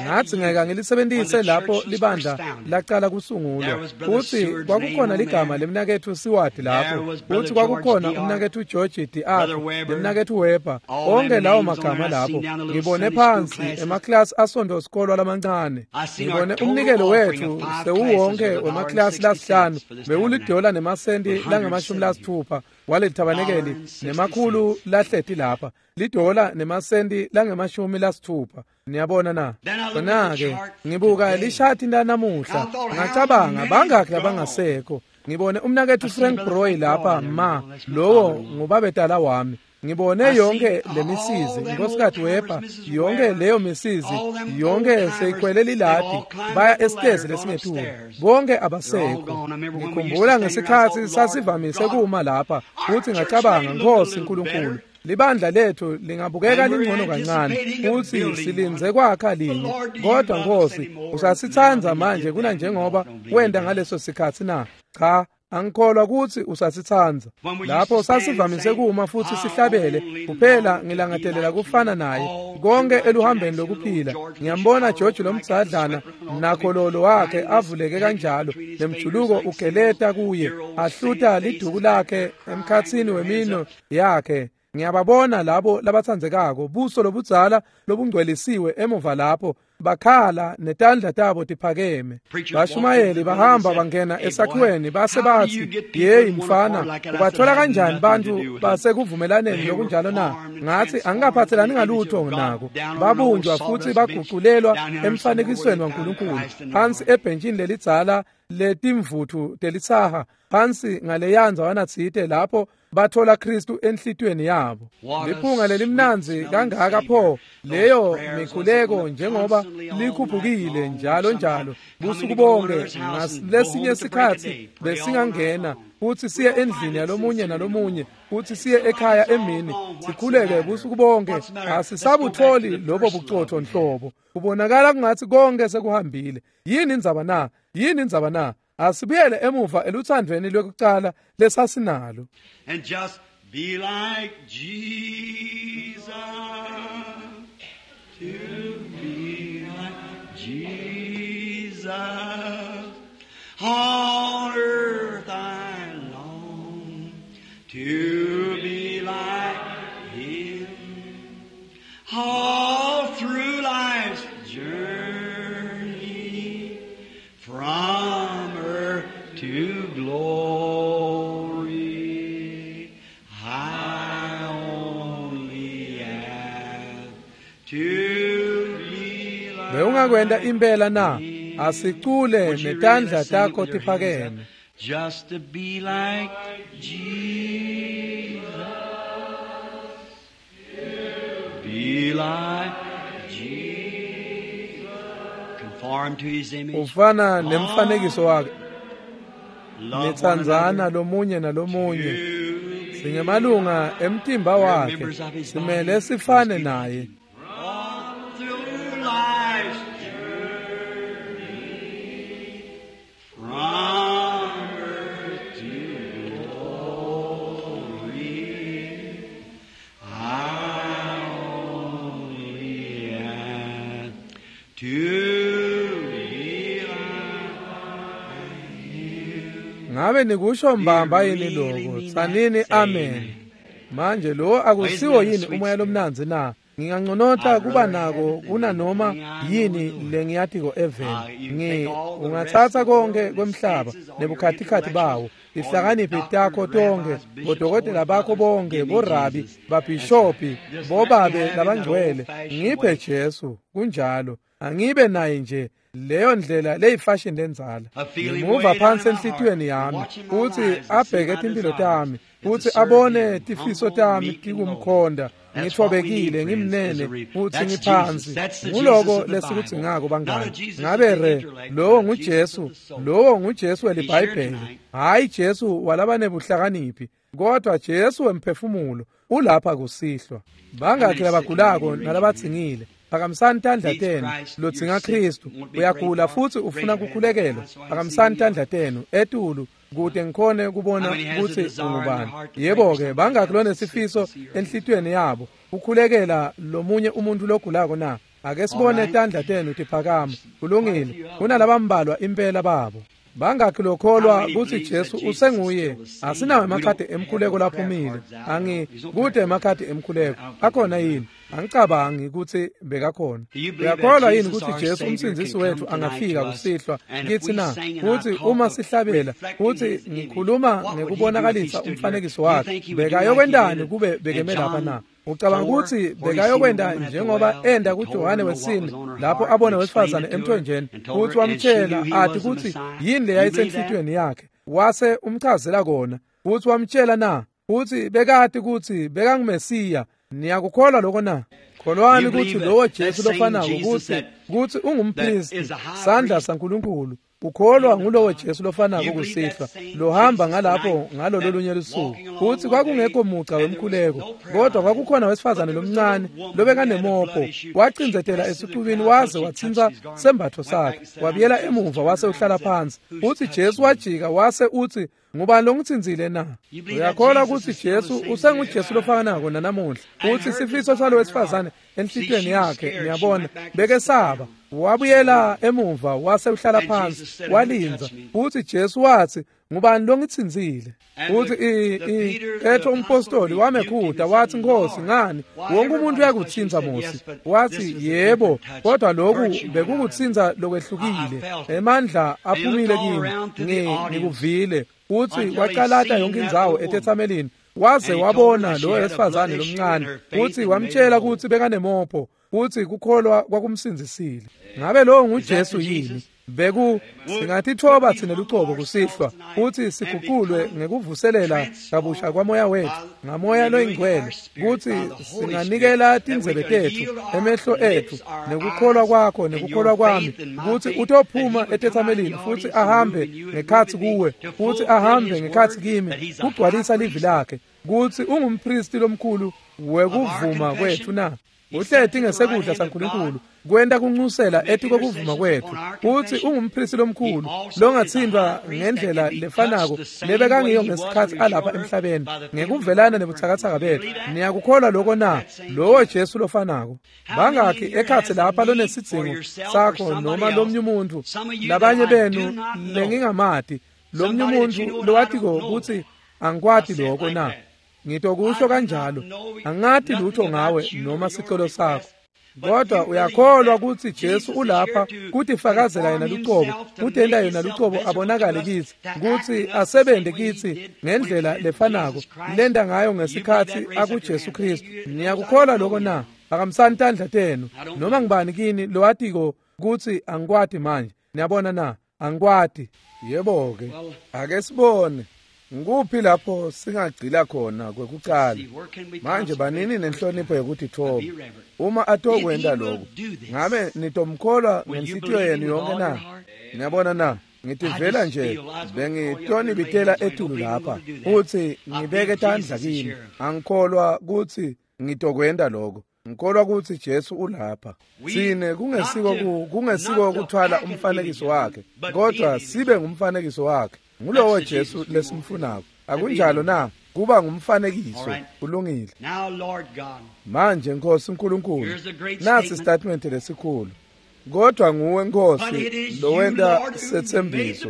Ngathi ngeke ngilisebentise lapho libandla laqala kusungulwa. Futhi kwakukhona ligama lemnaketfu Siwadi lapho, futhi kwakukhona umnaketfu George D.R. nemnaketfu Weber, onke lawo magama lapho. Ngibone phansi emaklasi asonto sikolwa lamancane. Ngibone umnikelo wethu sewuwonke wemaklasi lasihlanu bewulidola nemasenti langama-60 walelithabanekeli nemakhulu lahleti lapha, lidola nemasenti langama-60. Niyabona na? Khona-ke ngibuka lishati lanamuhla, ngacabanga bangakhi labangasekho. Ngibone umnaketfu Frank Broy lapha, ma lowo ngubabetala wami. Ngibone yonke lemisizi, Nkosikazi Weber, yonke leyo misizi, yonke seyikhwele liladi, baya esitezi lesingetulu. Bonke abasekho. Ngikhumbula ngesikhatsi sasivamise kuma lapha, futhi ngacabanga, Nkosi Nkulunkulu, libandla lethu lingabukeka lingcono kancane, futhi silinze kwakha linye, kodwa Nkosi usasitsandza manje kunanjengoba wenta ngaleso sikhatsi na? Cha, angikholwa kutsi usasitsandza. Lapho sasivamise kuma futhi sihlabele, kuphela ngilangatelela kufana naye konke eluhambeni lokuphila. Ngiyambona George lomdzadlana nakhololo wakhe avuleke kanjalo, nemjuluko ugeleta kuye, ahluta liduku lakhe emkhatsini wemino yakhe. Ngiyababona labo labatsandzekako, buso lobudzala lobungcwelisiwe emuva lapho, bakhala netandla tabo tiphakeme. Bashumayeli bahamba bangena esakhiweni base batsi, "Yeyi mfana, ubathola kanjani bantfu basekuvumelaneni lokunjalo na?" Ngatsi, "Angikaphatselani ngalutho nako." Babunjwa futsi baguculelwa emfanekisweni waNkulunkulu, phansi ebhentshini lelidzala letimvutfu telitsaha, phansi ngaleya ndzawana tsite lapho bathola Kristu enhlitiyweni yabo. Liphunga lelimnandzi kangaka pho leyo mikhuleko, njengoba likhuphukile njalo njalo busuku bonke. Ngalesinye sikhatsi besingangena futsi siye endlini yalomunye nalomunye, futsi siye ekhaya emini sikhuleke busuku bonke. Asisabutholi lobo bucotho nhlobo. Kubonakala kungatsi konke sekuhambile. Yini indzaba na? Yini indzaba na? Asibuyele emuva eluthandweni lwekucala lesasinalo. And just be like Jesus, to be like Jesus. On earth I long to be like Him. All through life's journey from earth to glory, I only ask to be like Bewungakwenta impela na? Him. Asicule Would you really netandla sing it takho with your hands up? tiphakeme. Just to be like Jesus. Be like Jesus. Conform to his image. Ufana nemfanekiso wakhe, Love one nitsandzana another. lomunye nalomunye. To be Singemalunga emtimba We're wakhe, members of his simele body. sifane Must be like naye. him. All through life's journey, from earth to glory, I only ask to be like him. Ngabe nikusho mbamba yini lokho? Tsanini amen. Manje lo akusiwo yini umoya lomnandzi na? Nginganconota kuba nako kunanoma yini lengiyatiko eveni. Ngi ungatsatsa konke kwemhlaba nebukhatikhathi bawo, tihlakaniphi takho tonke, bodokotela bakho bonke, borabi, babhishopi, bobabe labangcwele, ngiphe Jesu. Kunjalo, angibe naye nje leyo ndlela leyifashion lendzala. Ngimuva phansi enhlitiyweni yami futsi abheke timphilo tami, futsi abone tifiso tami tikumkhonda. Ngithobekile, ngimnene futsi ngiphansi. Nguloko lesikudzingako bangani. Ngabe re lowo nguJesu, lowo nguJesu weliBhayibheli, hhayi Jesu walabanebuhlakaniphi, kodwa Jesu wemphefumulo ulapha kusihlwa. Bangakhi labagulako nalabadzingile? Phakamisani tandla tenu. Lodzinga Kristu, uyagula futsi ufuna kukhulekelwa, phakamisani tandla tenu etulu kute ngikhone kubona kutsi ungubani. Yebo-ke, bangakhi lonesifiso enhlitiyweni yabo kukhulekela lomunye umuntu logulako na? Ake sibone tandla tenu tiphakama. Kulungile, kunalabambalwa impela babo. Bangakhi lokholwa kutsi Jesu usenguye? Asinawo emakhadi emkhuleko laphumile. Angi kude emakhadi emkhuleko akhona yini? Angicabangi kutsi bekakhona. Uyakholwa yini kutsi Jesu umsindzisi wethu angafika kusihlwa kitsi na? Kutsi uma sihlabela, kutsi ngikhuluma ngekubonakalisa umfanekiso wakhe, bekayokwentani kube bekeme lapha na? Ucabanga kutsi bekayokwenta njengoba enda kuJohane wesine lapho abona wesifazane emthonjeni, futsi wamtshela athi kutsi yini leyayisenhlitiyweni yakhe, wase umchazela kona, futsi wamtshela na? Futsi bekati kutsi bekanguMesiya. Niyakukholwa lokho na? Kholwani kutsi lowo Jesu lofanako kutsi ungumphristi, sandla saNkulunkulu. Ukholwa ngulowo Jesu lofanako kusihlwa lohamba ngalapho ngalolo lunye lusuku. Futsi kwakungekho muca wemkhuleko, kodwa kwakukhona wesifazane lomncane lobekanemopho, wacindzetela esicubini waze watsintsa sembatfo sakhe, wabuyela emuva wase uhlala phansi. Futsi Jesu wajika wase utsi, "Ngubani longitsintsile na?" Uyakholwa kutsi Jesu usenguJesu lofanako nanamuhla? Futsi sifiso salo wesifazane enhlitiyweni yakhe, niyabona, bekesaba. Wabuyela emuva wase uhlala phansi walindza. Futsi Jesu watsi, Ngubani longitsintsile? Uthi Petro umpostoli wamekhuta wathi, Nkosi, ngani wonke umuntu uyakutsintsa Mosi? Wathi, yebo, kodwa lokhu bekukutsintsa lokwehlukile. Emandla aphumile kimi, ngikuvile. Uthi waqalata yonke indzawo etetsamelini, waze wabona lo wesifazane lomncane, uthi wamtshela ukuthi bekanemopho, uthi kukholwa kwakumsindzisile. Ngabe lowo nguJesu yini? Beku singatithoba thina lucobo kusihlwa, uthi siguqulwe ngekuvuselela kabusha kwamoya wethu ngamoya loyingcwele, kuthi singanikela tindzebe tethu, emehlo ethu, nekukholwa kwakho nekukholwa kwami, kuthi utophuma etetsamelini futhi ahambe ngekhatsi kuwe, futhi ahambe ngekhatsi kimi, kugcwalisa livi lakhe, kuthi ungumpristi lomkhulu wekuvuma kwethu na. Uhleti ngesekudla saNkulunkulu kwenta kuncusela etikokuvuma kwethu, uthi ungumpristi lomkhulu longatsintwa ngendlela lefanako lebekangiyo ngesikhatsi alapha emhlabeni ngekuvelana nebutsakatsaka bethu. Niyakukholwa lokho na? Lowo Jesu lofanako. Bangakhi ekhatsi lapha lonesidzingo sakho noma lomnye umuntu, labanye benu lengingamati, lomnye umuntu lowatiko kutsi angikwati lokho na? Ngitokusho kanjalo, angati lutho ngawe noma sicelo sakho, kodwa uyakholwa kutsi Jesu ulapha kutifakazela yena lucobo, kutenta yena lucobo abonakale kitsi, kutsi asebente kitsi ngendlela lefanako lenta ngayo ngesikhatsi akuJesu Kristu. Niyakukholwa lokho na? Phakamisani tandla tenu. Noma ngibani kini lowatiko kutsi angikwati manje. Niyabona na? Angikwati. Yebo-ke, ake sibone. Nguphi lapho singagcila khona kwekucala? Manje banini nenhlonipho yekutitfoba. Uma atokwenta lokho, ngabe nitomkholwa ngenhlitiyo yenu yonke na? Niyabona na? Ngitivela nje bengitonibitela etulu lapha futhi ngibeke tandla kini. Angikholwa kutsi ngitokwenta lokho. Ngikholwa kutsi Jesu ulapha. Sine kungesiko kuthwala umfanekiso wakhe, kodwa sibe ngumfanekiso wakhe. Ngulowo Jesu lesimfunako. Akunjalo na? Kuba ngumfanekiso. Kulungile. Manje Nkosi uNkulunkulu, nasi statement lesikhulu. Kodwa nguwe Nkosi lowenta setsembiso.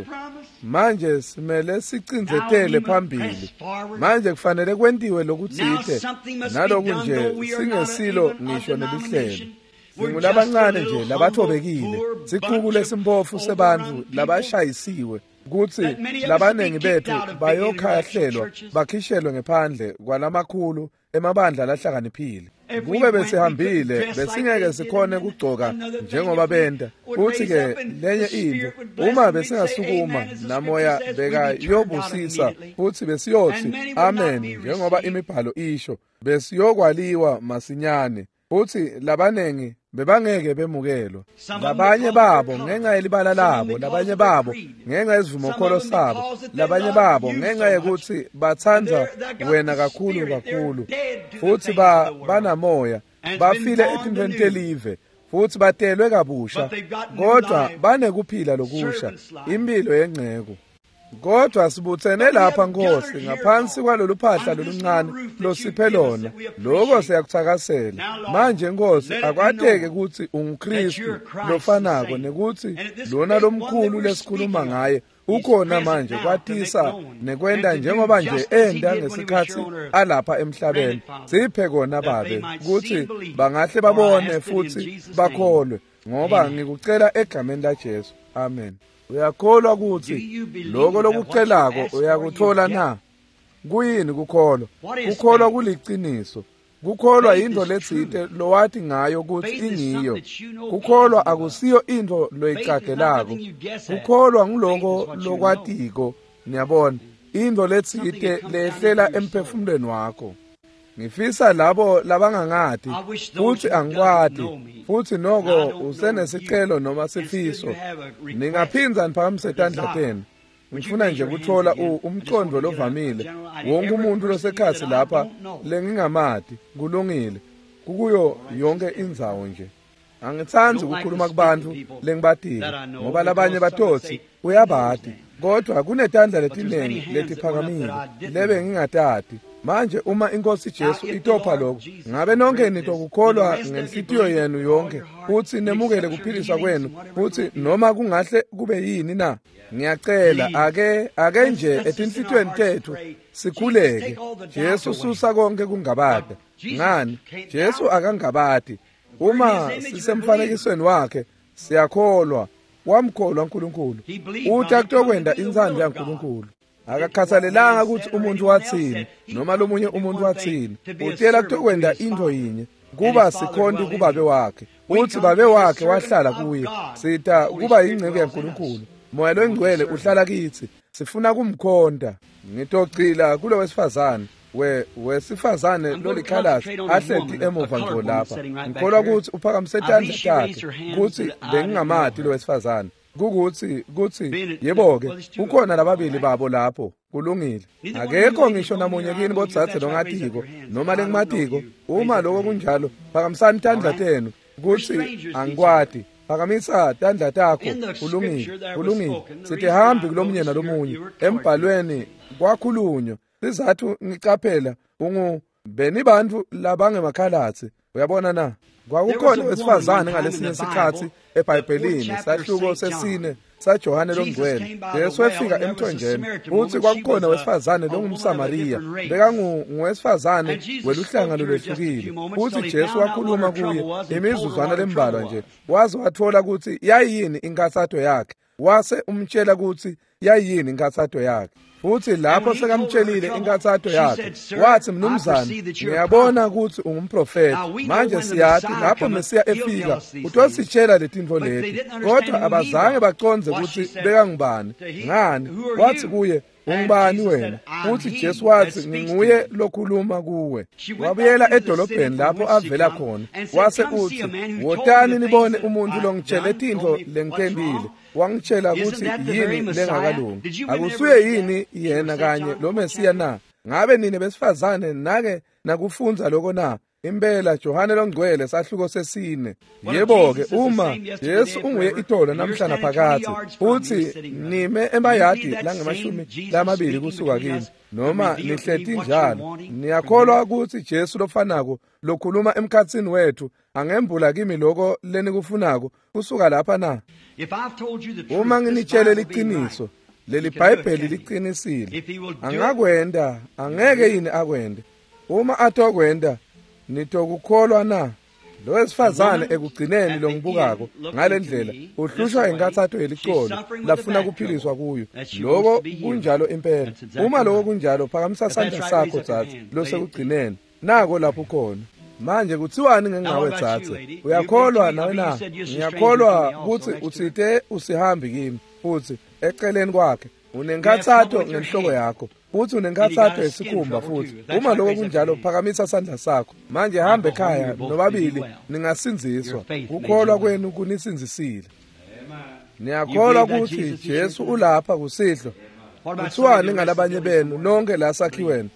Manje simele sicindzetele phambili. Manje kufanele kwentiwe lokutsite, naloku nje singesilo ngisho nelihlelo. Singulabancane nje labathobekile, sicuku lesimphofu sebantfu labashayisiwe, kutsi labanengi bethu bayokhahlelwa bakhishelwe ngephandle kwalamakhulu emabandla lahlakaniphile. Kube besihambile besingeke sikhone kugcoka njengoba benta. Uthi ke lenye into, uma besingasukuma namoya bekayobusisa futhi besiyothi amen njengoba imibhalo isho, besiyokwaliwa masinyane. Futhi labanengi bebangeke bemukelwa. Labanye babo ngenxa yelibala labo, labanye babo ngenxa yesivumokholo sabo, labanye babo ngenxa yekuthi batsandza wena kakhulu kakhulu, futhi banamoya, bafile etintfweni telive, futhi batelwe kabusha, kodwa banekuphila lokusha, impilo yengcebo. Kodwa sibutsene lapha Nkosi ngaphansi kwalolu phahla loluncane losiphe lona, lokho siyakuthakasela. Manje Nkosi, akwateke kutsi unguKristu lofanako nekutsi lona lomkhulu lesikhuluma ngaye ukhona manje kwatisa nekwenta njengoba nje enda ngesikhatsi alapha emhlabeni. Siphe kona Babe kutsi bangahle babone futhi bakholwe, ngoba ngikucela egameni laJesu. Amen. Uyakholwa kutsi lokho lokucelako uyakuthola na? Kuyini kukholwa? Kukholwa kuliciniso. Kukholwa yintfo letsite lowati ngayo kutsi ingiyo. Kukholwa akusiyo intfo loyicagelako. Kukholwa nguloko lokwatiko, niyabona, intfo letsite lehlela emphefumulweni wakho. Ngifisa labo labangangati futhi angikwati, futhi noko usenesicelo noma sifiso, ningaphindza niphakamise tandla tenu. Ngifuna nje kuthola umcondvo lovamile wonke umuntu losekhatsi lapha lengingamati. Kulungile, kukuyo yonke indzawo nje. Angitsandzi ukukhuluma kubantu lengibatile, ngoba labanye batotsi uyabati. Kodwa kunetandla letinengi letiphakamile lebe ngingatati. Manje uma iNkosi Jesu itopha lokho, ngabe nonke nitokukholwa ngenhlitiyo yenu yonke futhi nemukele kuphiliswa kwenu futhi noma kungahle kube yini na? Ngiyacela ake nje etinhlitiyweni tethu sikhuleke. Jesu susa konke kungabada. Ngani? Jesu akangabadi. Uma sisemfanekisweni wakhe siyakholwa. Wamkholwa uNkulunkulu. Uthi akutokwenda intsandvo yaNkulunkulu. Akakhathalelanga ukuthi umuntu wathini noma lomunye umuntu wathini. Utela kutokwenda into yinye, kuba sikhonti kubabe wakhe. Uthi babe wakhe wahlala kuye. Sita kuba yingcebo yaNkulunkulu. Moya loNgcwele uhlala kithi. Sifuna kumkhonta. Ngitogcila kulo wesifazane. Wesifazane lolikhalasi ahleti emuva ngqo lapha. Ngikholwa ukuthi uphakamise tandla takhe kutsi bengingamati lo wesifazane. Kukuthi kutsi yebo-ke kukhona lababili babo lapho. Kulungile. Akekho ngisho namunye kini botsatse longatiko noma lengimatiko. Uma lokho kunjalo, phakamisani tandla tenu kutsi angikwati. Phakamisa tandla takho. Kulungile. Kulungile. Sitihambi kulomunye nalomunye. Embhalweni kwakhulunywa. Sizathu ngicaphela ungu benibantu labangemakhalatsi. Uyabona na? Kwakukhona wesifazane ngalesinye sikhatsi eBhayibhelini, sahluko sesine saJohane loNgcwele. Jesu wefika emthonjeni, uthi kwakukhona wesifazane longumSamariya, bekanguwesifazane weluhlanga lolwehlukile. Uthi Jesu wakhuluma kuye imizuzwana lembalwa nje, waze wathola ukuthi yayini inkathato yakhe, wase umtshela ukuthi yayini inkathato yakhe. Futhi lapho sekamtshelile inkathato yakhe, wathi, mnumzane, ngiyabona ukuthi ungumprofeti. Manje siyathi lapho Mesiya efika utositshela letintfo leti. Kodwa abazange bacondze ukuthi bekangubani. Ngani? Wathi kuye, ungubani wena? Futhi Jesu wathi, nginguye lokhuluma kuwe. Wabuyela edolobheni lapho avela khona, wase uthi, wotani nibone umuntu longitshele tintfo lengitentile. Wangitshela ukuthi yini lengakalungi. Akusuye yini yena kanye lo Mesiya na? Ngabe nine besifazane nake nakufundza lokho na? Impela Johane loNgcwele sahluko sesine. Yebo-ke uma Jesu unguye itolo namhla naphakadze, uthi nime emayadi langemashumi lamabili kusuka kimi, noma nihleti njalo, niyakholwa ukuthi Jesu lofanako lokhuluma emkhatsini wethu angembula kimi lokho lenikufunako kusuka lapha na? Uma nginitshele liqiniso, leli Bhayibheli liqinisile. Angakwenda, angeke yini akwende? Uma atokwenda, nitokukholwa na? Lo wesifazane ekugcineni longibukako ngalendlela uhlushwa inkathato yelicolo lafuna kuphiliswa kuyo. Lokho kunjalo impela. Uma lokho kunjalo, phakamisa sandla sakho dzadze losekugcineni. Nako lapho khona. Manje kuthiwani ngengawe dzadze? Uyakholwa nawe na? Ngiyakholwa ukuthi utsite usihambi kimi futhi eceleni kwakhe unenkathato ngenhloko yakho. Futhi unenkathato yesikhumba futhi. Uma lokho kunjalo, phakamisa sandla sakho. Manje hambe ekhaya nobabili ningasindziswa. Kukholwa kwenu kunisindzisile. Niyakholwa ukuthi Jesu ulapha kusihlwa? Kuthiwani ngalabanye benu nonke la sakhiweni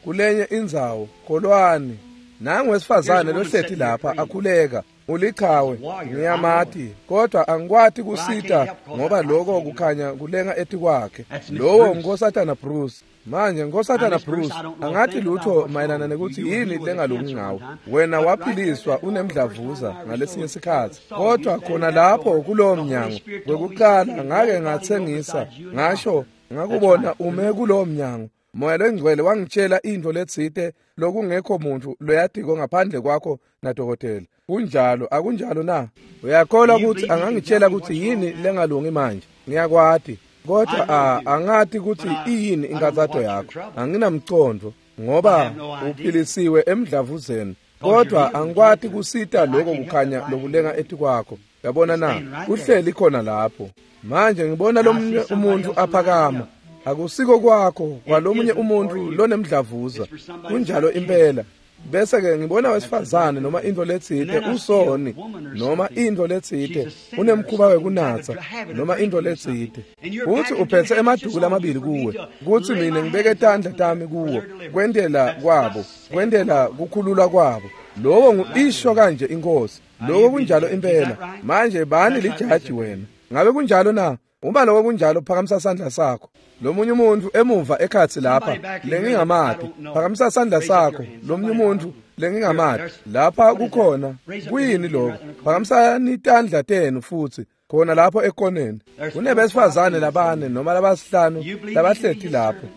kulenye indzawo? Kholwani. Nangu wesifazane lohleti lapha akhuleka. Ulichawe, ngiyamati, kodwa angikwati kusita ngoba lokho kukhanya kulenga etikwakhe. Lowo Nkosatana Bruce. Manje Nkosatana Bruce, angathi lutho mayelana nekuthi yini lengalungi ngawe. Wena waphiliswa unemdlavuza ngalesinye sikhatsi, kodwa khona lapho kulowo mnyango kwekuqala ngake ngathengisa, ngasho ngakubona ume kulowo mnyango. Moya loNgcwele wangitshela into letsite lokungekho muntu loyatiko ngaphandle kwakho nadokotela. Kunjalo, akunjalo na? Uyakholwa ukuthi angangitshela ukuthi yini lengalungi manje? Ngiyakwati, kodwa angati ukuthi iyini inkathato yakho. Anginamcondvo ngoba uphilisiwe emdlavuzeni, kodwa angikwati kusita lokho kukhanya lokulenga etikwakho. Uyabona na? Kuhleli khona lapho. Manje ngibona lomunye umuntu aphakama. Akusiko kwakho kwalomunye umuntu lonemdlavuza. Kunjalo impela. Bese ke ngibona wesifazane noma into letsite usoni noma into letsite unemkhuba wekunatsa noma into letsite. Uthi uphethe emaduku lamabili kuwe, kuthi mina ngibeke tandla tami kuwo kwendela kwabo, kwendela kukhululwa kwabo. Lowo nguisho kanje inkosi. Lokho kunjalo impela. Manje bani lijaji wena? Ngabe kunjalo na? Uma lokho kunjalo, phakamisa sandla sakho. Lomunye umuntu emuva ekhatsi lapha lengingamati, phakamisa sandla sakho. Lomunye umuntu lengingamati lapha kukhona. Kuyini lokho? Phakamisani tandla tenu futhi khona lapho ekoneni. Kunebesifazane labane noma labasihlanu labahleti lapho.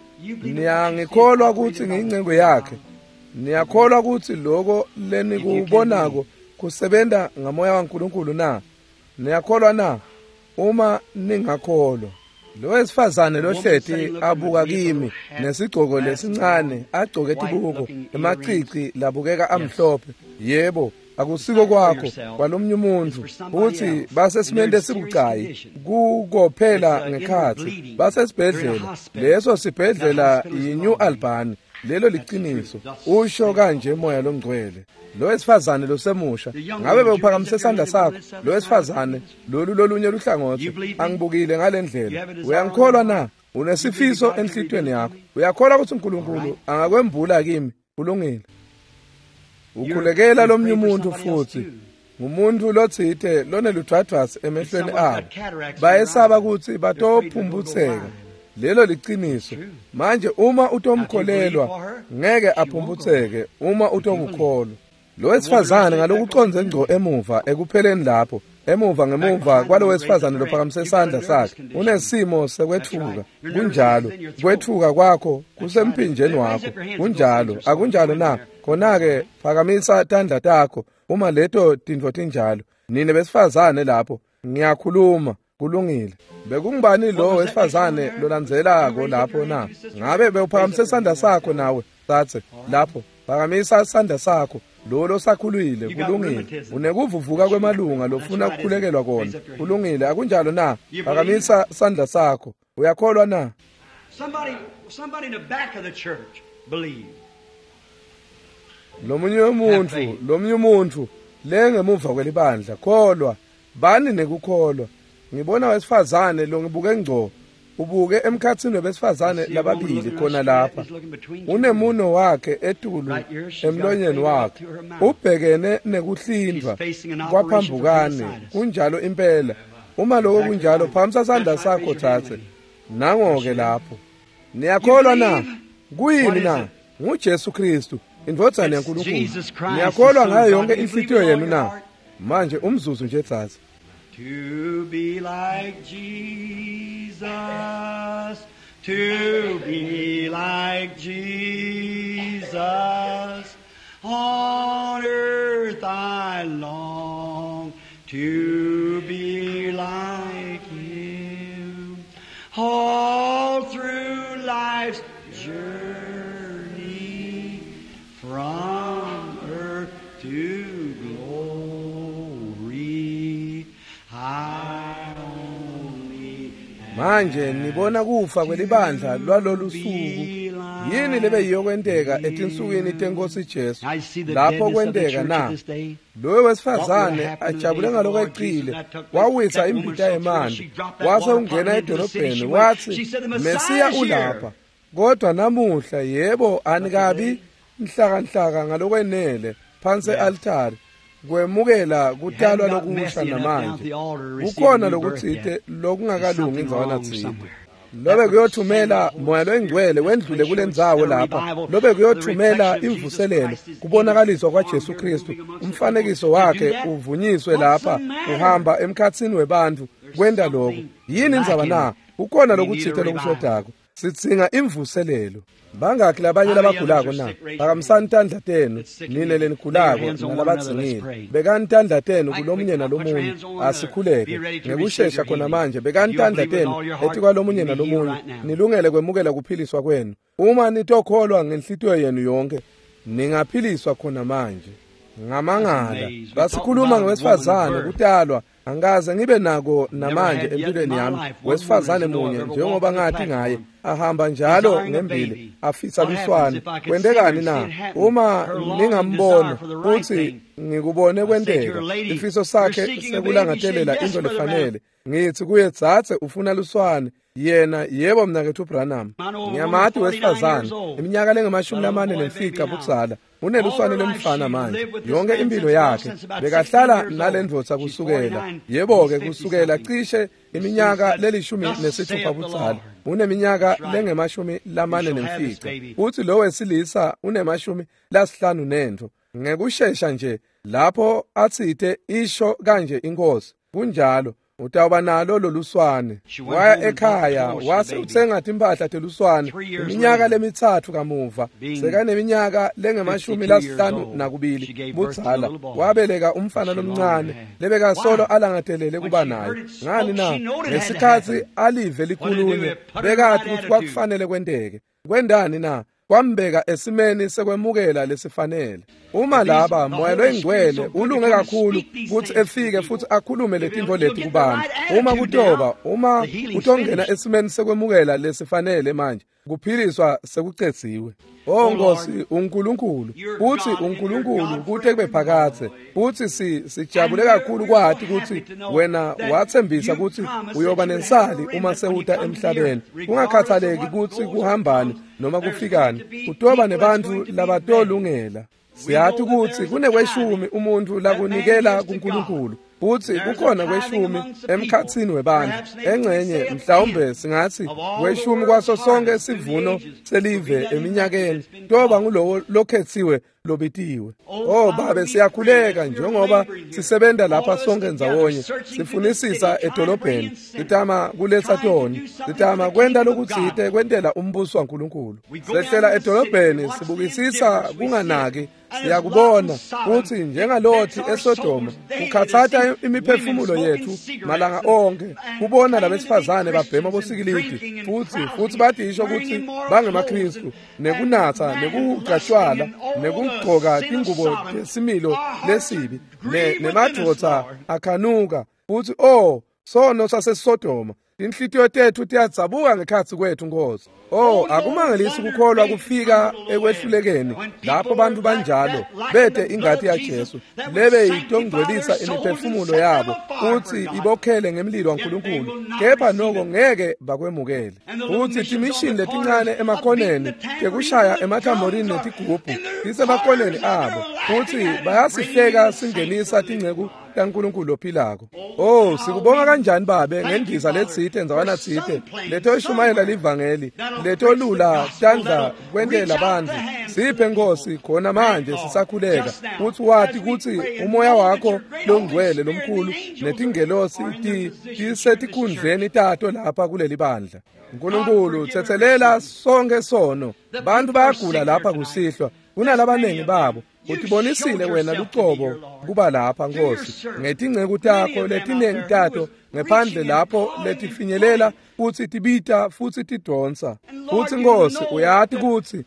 Niyangikholwa ukuthi ngiyincengo yakhe? Niyakholwa ukuthi lokho lenikubonako kusebenta ngamoya waNkulunkulu na? Niyakholwa na? Uma ningakholwa. Lo wesifazane lohleti abuka kimi nesigcoko lesincane, agcoke tibuko, emacici labukeka amhlophe. Yebo, akusiko kwakho, kwalomnye umuntu. Futhi basesimeni lesibucayi, kukophela ngekhatsi. Basesibhedlela. Leso sibhedlela yi-New Albany. Lelo liqiniso. Usho kanje moya longcwele. Lo wesifazane losemusha, ngabe bewuphakamise isandla sakho? Lo wesifazane lolu lolunye luhlangothi, angibukile ngalendlela. Uyangikholwa na? Unesifiso enhlitiyweni yakho. Uyakholwa ukuthi uNkulunkulu angakwembula kimi? Kulungile. Ukhulekela lomnye umuntu futhi. Ngumuntu lotsite loneludvwadvwasi emehlweni abo. Bayesaba ukuthi batophumbutseka. Lelo liqiniso. Manje uma utomkholelwa, ngeke aphumbutseke uma utokukholwa. Lo wesifazane ngalokuconze ngco emuva ekupheleni lapho, emuva ngemuva kwalo wesifazane lophakamise isandla sakhe, unesimo sekwethuka. Kunjalo, kwethuka kwakho kusemphinjeni wakho. Kunjalo, akunjalo na? Khona-ke phakamisa tandla takho uma leto tintfo tinjalo. Nine besifazane lapho, ngiyakhuluma. Kulungile. Bekungubani lo wesifazane lolandzelako lapho na? Ngabe bewuphakamise isandla sakho nawe? Tsatse lapho, phakamisa isandla sakho. Lo losakhulile. Kulungile. Unekuvuvuka kwemalunga lofuna ukukhulekelwa kona. Kulungile, akunjalo na? Phakamisa isandla sakho. Uyakholwa na? Somebody in the back of the church believe. Lomunye umuntu, lomunye umuntu lengemuva kwelibandla, kholwa. Bani nekukholwa. Ngibona wesifazane lo ngibuke ngco, ubuke emkhatsini webesifazane lababili khona lapha. Unemuno wakhe etulu emlonyeni wakhe, ubhekene nekuhlindvwa kwaphambukane. Kunjalo impela. Uma lokho kunjalo, phakamisa sandla sakho tsatse. Nango-ke lapho. Niyakholwa na? Kuyini na? NguJesu Kristu, indvodzana yaNkulunkulu. Niyakholwa ngayo yonke inhlitiyo yenu na? Manje umzuzu nje tsatse. To be like Jesus, to be like Jesus, on earth I long to be like Him. All through life's journey, from earth to glory, I only Manje nibona kufa kwelibandla lwalolu suku. Yini lebe yiyokwenteka etinsukwini tenkosi Jesu? Lapho kwenteka na? Loyo wesifazane ajabule ngalokweqile, wawisa imbita yemanti, wase ungena edolobheni, wathi Mesiya ulapha. Kodwa namuhla, yebo, anikabi nhlakanhlaka ngalokwenele phansi e-altari kwemukela kutalwa lokusha namanje. Kukhona lokutsite lokungakalungi indzawana tsite. Lobe kuyothumela moya loyingcwele wendlule kulendzawo lapha, lobe kuyothumela imvuselelo, kubonakaliswa kwaJesu Kristu, umfanekiso wakhe uvunyiswe lapha, uhamba emkhatsini webantfu kwenta lokho. Yini indzaba na? Kukhona lokutsite lokushodako. Sidzinga imvuselelo. Bangakhi labanye labagulako na? Phakamisani tandla tenu, nine lenigulako nalabadzingile. Bekani tandla tenu kulomunye nalomunye. Asikhuleke ngekushesha khona manje. Bekani tandla tenu etikwalomunye nalomunye, nilungele kwemukela kuphiliswa kwenu. Uma nitokholwa ngenhlitiyo yenu yonke, ningaphiliswa khona manje. Ngamangala basikhuluma ngewesifazane kutalwa. Angikaze ngibe nako namanje empilweni yami wesifazane munye njengoba ngathi ngaye ahamba njalo ngembili afisa luswane. Kwentekani na? Uma ningambona futhi ngikubone kwenteka, ifiso sakhe sekulangatelela into lefanele. Ngithi kuye, tsatse, ufuna luswane. Yena, yebo mnaketfu Branham. Ngiyamati wesifazane, iminyaka lengamashumi lamane nemfica budzala. Uneluswane lwemfana manje. Yonke impilo yakhe bekahlala nalendvodza kusukela, yebo-ke, kusukela cishe iminyaka le-16 budzala. Uneminyaka lengama-45, futhi lo wesilisa une-50. Ngekushesha nje lapho atsite isho kanje inkosi, kunjalo, utawuba nalo loluswane. Waya ekhaya wase utsenga timphahla teluswane. Iminyaka lemi-3 kamuva, sekaneminyaka lengama-52 budzala, wabeleka umfana lomncane lebekasolo alangatelele kuba naye. Ngani na? Ngesikhatsi alive likhulunywa, bekati kutsi kwakufanele kwenteke. Kwendani na? Kwambeka esimeni sekwemukela lesifanele. Uma laba Moya loyiNgcwele ulunge kakhulu kutsi efike futhi akhulume letintfo leti kubantu, uma kutoba, uma utongena esimeni sekwemukela lesifanele manje, kuphiliswa sekucedziwe. O Nkosi uNkulunkulu, uthi uNkulunkulu kute kube phakadze, futhi sijabule kakhulu kwati kutsi wena wathembisa kutsi uyoba nensali uma sewuta emhlabeni. Kungakhathaleki kutsi kuhambani noma kufikani, utoba nebantfu labatolungela. Siyati kutsi kunekweshumi umuntfu lakunikela kuNkulunkulu, futsi kukhona kweshumi emkhatsini webantfu. Engcenye mhlawumbe singatsi kweshumi kwaso sonke sivuno selive eminyakeni toba ngulowo lokhetsiwe lobitiwe. Oh Babe, siyakhuleka njengoba sisebenta lapha sonke ndzawonye, sifunisisa edolobheni, sitama kuletsa toni, sitama kwenta lokutsite kwentela umbuso waNkulunkulu. Sehlela edolobheni, sibukisisa kunganaki, siyakubona kutsi njengalothi eSodoma kukhatsata imiphefumulo yethu malanga onke kubona labesifazane babhema bosikilidi futhi batisho kutsi bangemaKristu, nekunatsa nekuhuca tshwala nekugcoka tingubo tesimilo lesibi, nemadvodza akhanuka futhi oh sono saseSodoma. Tinhlitiyo tetfu tiyadzabuka ngekhatsi kwethu Nkosi. Oh, akumangalisi kukholwa kufika ekwehlulekeni lapho bantu banjalo bete ingati yaJesu lebe itongcwelisa imiphefumulo yabo futhi ibokhele ngemlilo waNkulunkulu, kepha noko ngeke bakwemukele. Futhi timishini letincane emakhoneni tekushaya emathamborini netigubhu tisemakhoneni abo, futhi bayasihleka singenisa tinceku kaNkulunkulu lophilako. Oh, sikubonga kanjani Babe ngendiza letsite ndzawana tsite letoshumayela livangeli, letolula tandla kwentela bantfu. Siphe Nkosi khona manje sisakhuleka kutsi wati kutsi umoya wakho longcwele lomkhulu netingelosi tisetikhundleni tato lapha kuleli bandla. Nkulunkulu, tsetselela sonke sono. Bantu bayagula lapha kusihlwa, kunalabanengi babo. Utibonisile wena lucobo kuba lapha Nkosi ngetinceku takho letinengi tato ngephandle lapho letifinyelela futsi tibita futsi tidonsa. Futsi Nkosi uyati kutsi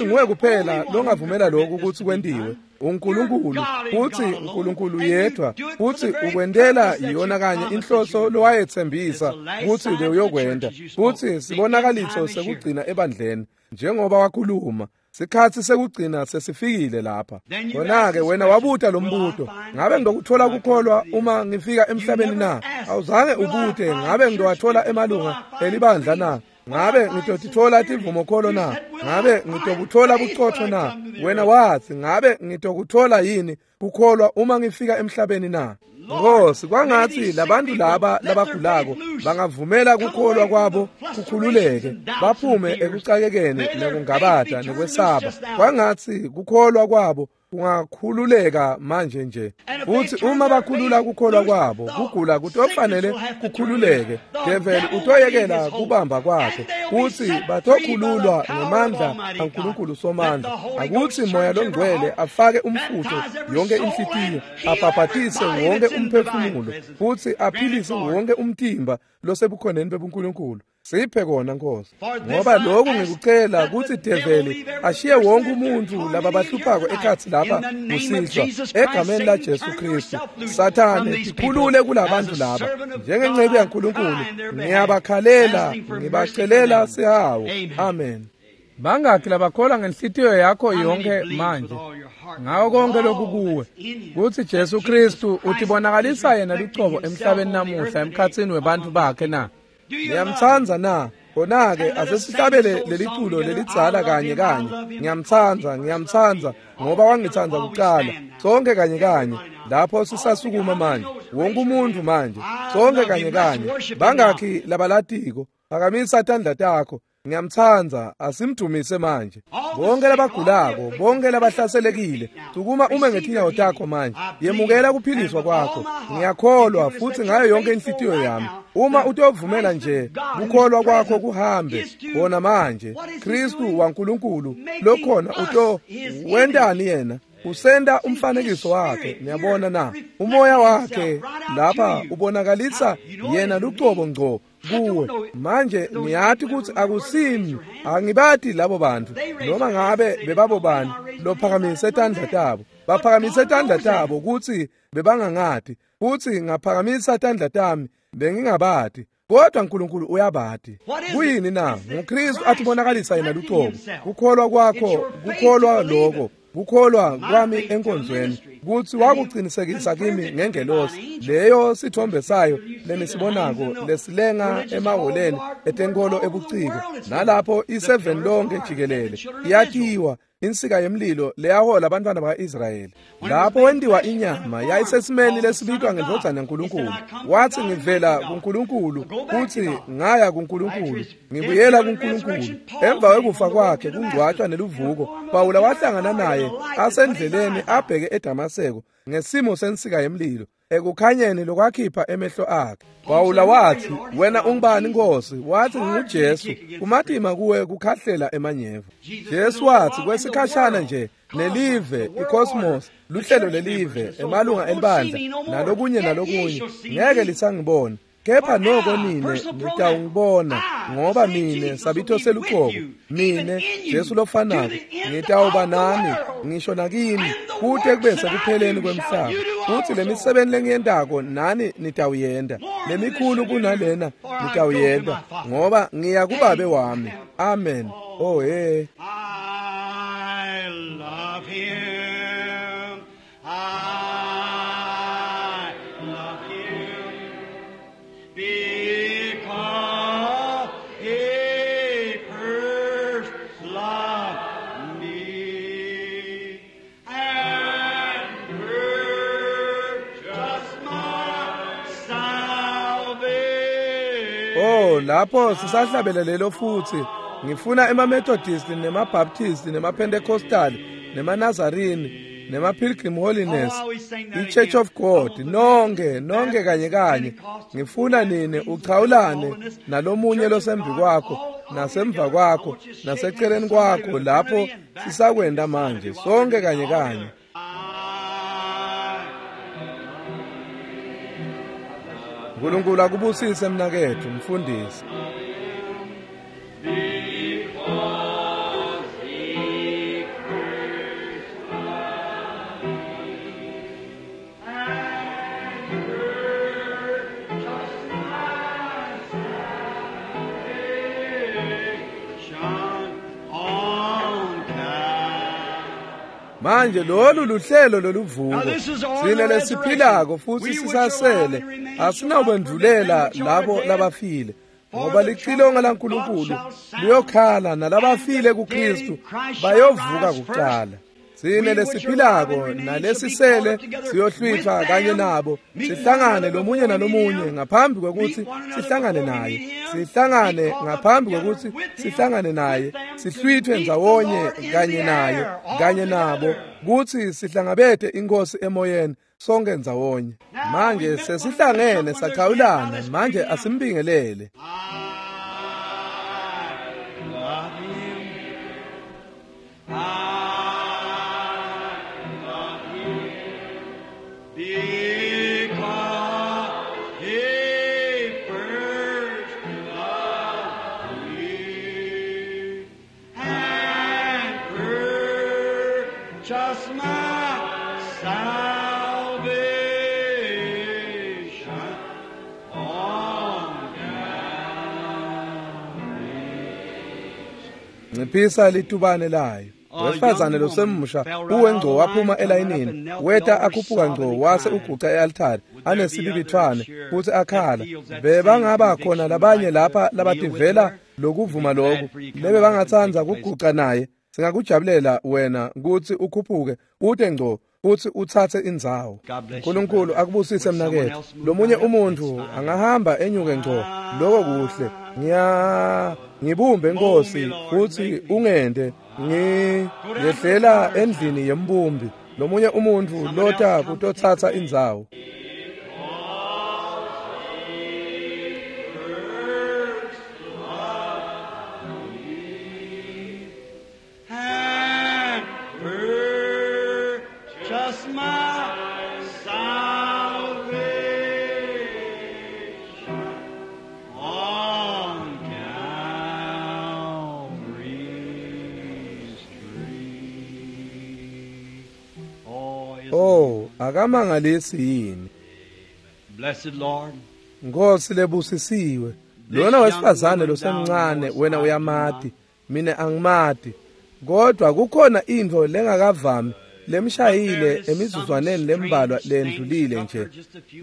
nguwe kuphela longavumela lokhu kutsi kwentiwe. uNkulunkulu, futsi uNkulunkulu yedwa, futsi ukwentela yona kanye inhloso lowayethembisa kutsi uyokwenta. Futsi sibonakaliso sekugcina ebandleni njengoba wakhuluma. Sikhatsi sekugcina sesifikile lapha. Khona-ke wena wabuta lo mbuto, ngabe ngitokuthola kukholwa uma ngifika emhlabeni na? Awuzange ubute, ngabe ngitowathola emalunga elibandla na? Ngabe ngitotithola tivumokholo na? Ngabe ngitokuthola bucotfo na? Wena wathi, ngabe ngitokuthola yini kukholwa uma ngifika emhlabeni na? Nkosi, kwangatsi labantu laba labagulako bangavumela kukholwa kwabo kukhululeke, baphume ekucakekeni nekungabata nekwesaba. Kwangatsi kukholwa kwabo kungakhululeka manje nje. Futhi uma bakhulula kukholwa kwabo, kugula kutofanele kukhululeke. Develi utoyekela kubamba kwakhe, futhi batokhululwa ngemandla aNkulunkulu Somandla. Akutsi Moya loNgcwele afake umfutho yonke inhlitiyo, abhabhatise wonke umphefumulo, futhi aphilise wonke umtimba losebukhoneni bebuNkulunkulu. Siphe kona Nkosi, ngoba lokhu ngikucela kutsi develi ashiye wonke umuntu lababahluphako ekhatsi lapha kusihlwa, egameni la Jesu Kristu. Sathane, tikhulule kulabantu laba njengenceku yaNkulunkulu. Ngiyabakhalela, ngibacelela sihawu. Amen. Bangakhi labakholwa ngenhlitiyo yakho yonke manje ngawo konke lokukuwe kutsi Jesu Kristu utibonakalisa yena lucobo emhlabeni namuhla emkhatsini webantfu bakhe na? Niyamtsandza na? Khona-ke asesihlabele leliculo lelidzala kanye kanye. Ngiyamtsandza, ngiyamtsandza, ngoba wangitsandza kuqala. Sonke kanye kanye lapho sisasukuma manje, wonke umuntu manje, sonke kanye kanye. Bangakhi labalatiko? Phakamisa tandla takho. Ngiyamtsandza, asimdumise manje. Bonke labagulako, bonke labahlaselekile, sukuma ume ngetinyawo takho manje. Yemukela kuphiliswa kwakho. Ngiyakholwa futhi ngayo yonke inhlitiyo yami. Uma utovumela nje kukholwa kwakho kuhambe khona manje, Kristu waNkulunkulu lokhona uto wentani yena? Usenda umfanekiso wakhe. Niyabona na? Umoya wakhe lapha ubonakalisa yena lucobo ngco kuwe. Manje ngiyathi ukuthi akusimi, angibati labo bantu noma ngabe bebabo bani lophakamise tandla tabo. Baphakamise tandla tabo ukuthi bebangangati, futhi ngaphakamisa tandla tami bengingabati, kodwa uNkulunkulu uyabati. Kuyini na? NguKristu athibonakalisa yena lucobo. Kukholwa kwakho, kukholwa lokho, kukholwa kwami enkonzweni kuthi wakuqinisekisa kimi ngengelosi leyo sithombe sayo lenisibonako lesilenga emahholeni etenkolo ebuciko, nalapho i7 lonke jikelele iyatiwa insika yemlilo leyahola abantwana baka-Israyeli. Lapho wendiwa inyama yayisesimeni lesibitwa ngendvodzana yaNkulunkulu. Wathi ngivela kuNkulunkulu futhi ngaya kuNkulunkulu, ngibuyela kuNkulunkulu. Emva kwekufa kwakhe kungcwatshwa neluvuko, Pawula wahlangana naye asendleleni abheke eDamaseko ngesimo sensika yemlilo ekukhanyeni lokwakhipha emehlo akhe. Pawula wathi, wena ungubani Nkosi? Wathi nginguJesu. Kumatima kuwe kukhahlela emanyeva. Jesu wathi kwesikhashana nje nelive icosmos, luhlelo lelive, emalunga elibandla nalokunye nalokunye, ngeke lisangibona, kepha noko nine nitawungibona, ngoba mine sabitho seluqobo, mine Jesu lofanako ngitawuba nani ngisho nakini kute kube sekupheleni kwemhlaba. Futhi lemisebenzi lengiyentako nani nitawuyenta, lemikhulu kunalena nitawuyenta, ngoba ngiya kubabe wami. Amen. Oh hey. I love him. I love him. Because he first loved me and purchased my salvation. Oh, lapho sisahlabele lelo futhi. Ngifuna ema-Methodist nema-Baptist nema-Pentecostal nema-Nazarene nema-Pilgrim Holiness, i-Church of God, nonke nonke kanye kanye. Ngifuna nine uchawulane nalomunye losembi kwakho nasemva kwakho naseceleni kwakho lapho sisakwenda manje, sonke kanye kanye. uNkulunkulu akubusise mnakethu mfundisi. Manje lolu luhlelo loluvuko, sine lesiphilako futhi sisasele, asinawukwendvulela labo labafile, ngoba licilongo laNkulunkulu liyokhala nalabafile kuKristu bayovuka kuqala. Sine lesiphilako nalesisele siyohlwithwa kanye nabo, sihlangane lomunye nalomunye ngaphambi kwekuthi sihlangane naye, sihlangane ngaphambi kwekuthi sihlangane naye, sihlwithwe ndzawonye kanye naye kanye nabo, kuthi sihlangabete inkosi emoyeni sonke ndzawonye. Manje sesihlangene sachawulana, manje asimbingelele. Just my salvation on Nciphisa litubane layo. Wesifazane losemusha uwe ngco waphuma elayinini, weta akhuphuka ngco wase uguca e-altari anesibibithwane futhi akhala. Bebangaba khona labanye lapha labativela Lokuvuma lokhu lebe bangatsandza kuguca naye, singakujabulela wena kutsi ukhuphuke ute ngco futsi utsatse indzawo. Nkulunkulu akubusise mnaketfu. Lomunye umuntfu angahamba enyuke ngco, loko kuhle. Ngibumbe Nkosi futsi ungente ngiyehlela endlini yembumbi. Lomunye umuntfu lota kutotsatsa indzawo. Oh, akamangalisi yini? Blessed Lord. Nkosi lebusisiwe. Lona wesifazane losemncane wena uyamati, mina angimati. Kodwa kukhona intfo lengakavami lemshayile emizuzwaneni lembalwa lendlulile nje,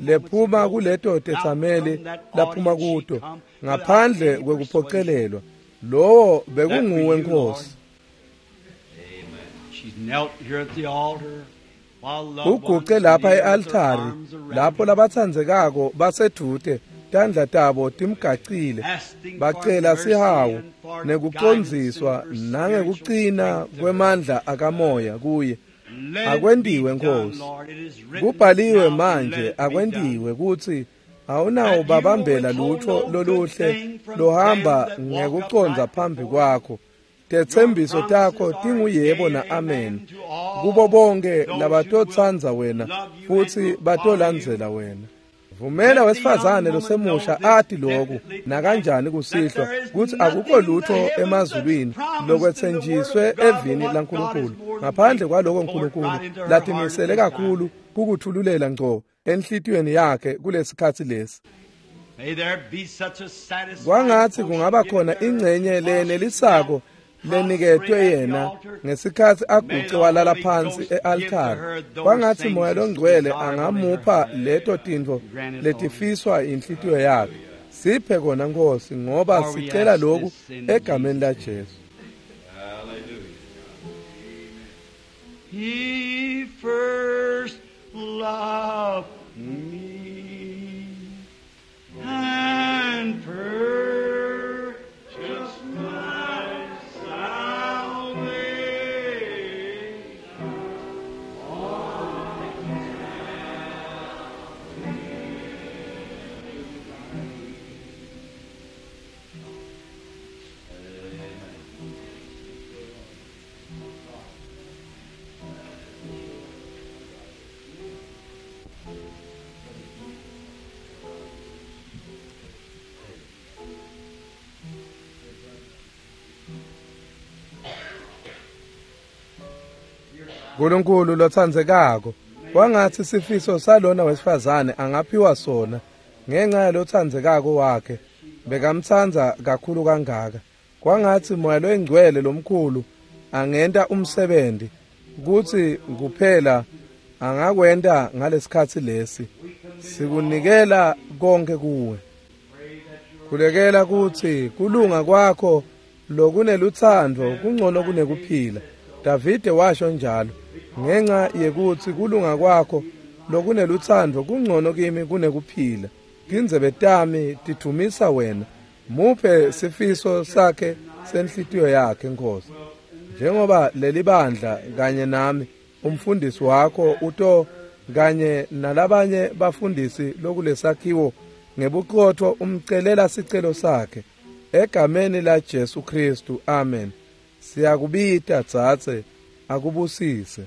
lephuma kuleto tetsameli laphuma kuto ngaphandle kwekuphocelelwa. Lowo bekunguwe Nkosi. She's knelt here at the altar. Uguce lapha e-altari lapho labatsandzekako basedvute, tandla tabo timgacile, bacela sihawu nekucondziswa nangekucina kwemandla akamoya kuye. Akwentiwe Nkosi. Kubhaliwe manje, akwentiwe kutsi awunawo babambela lutho loluhle lohamba ngekucondza phambi kwakho. Tetsembiso takho tinguyebo na-amen kubo bonke labatotsandza wena futsi batolandzela wena. Vumela wesifazane losemusha ati lokhu nakanjani kusihlwa kutsi akukho lutho emazulwini lokwetsenjiswe evini laNkulunkulu ngaphandle kwaloko Nkulunkulu latimisele kakhulu kukuthululela ngco enhlitiyweni yakhe kulesikhatsi lesi. Kwangatsi kungaba khona ingcenye leyenelisako leniketwe yena ngesikhatsi aguce walala phansi e-altari. Kwangatsi Moya Longcwele angamupha leto tintfo letifiswa inhlitiyo yakhe. Siphe kona Nkosi, ngoba sicela lokhu egameni laJesu. He first loved me and purchased my salvation. Nkulunkulu lotsandzekako, kwangatsi sifiso salona wesifazane angaphiwa sona ngenxa yalotsandzekako wakhe bekamtsandza kakhulu kangaka. Kwangatsi Moya Longcwele lomkhulu angenta umsebenzi kutsi kuphela angakwenta ngalesikhatsi lesi. Sikunikela konke kuwe. Khulekela kutsi kulunga kwakho lokunelutsandvo kungcono kunekuphila. Davide washo njalo, ngenxa yekutsi kulunga kwakho lokunelutsandvo kungcono kimi kunekuphila. Tindzebe tami tidvumisa wena. Muphe sifiso sakhe senhlitiyo yakhe Nkosi. Njengoba lelibandla kanye nami umfundisi wakho uto kanye nalabanye bafundisi lokulesakhiwo ngebuqotho umcelela sicelo sakhe egameni la Jesu Kristu, amen. Siyakubita dzadze, akubusise.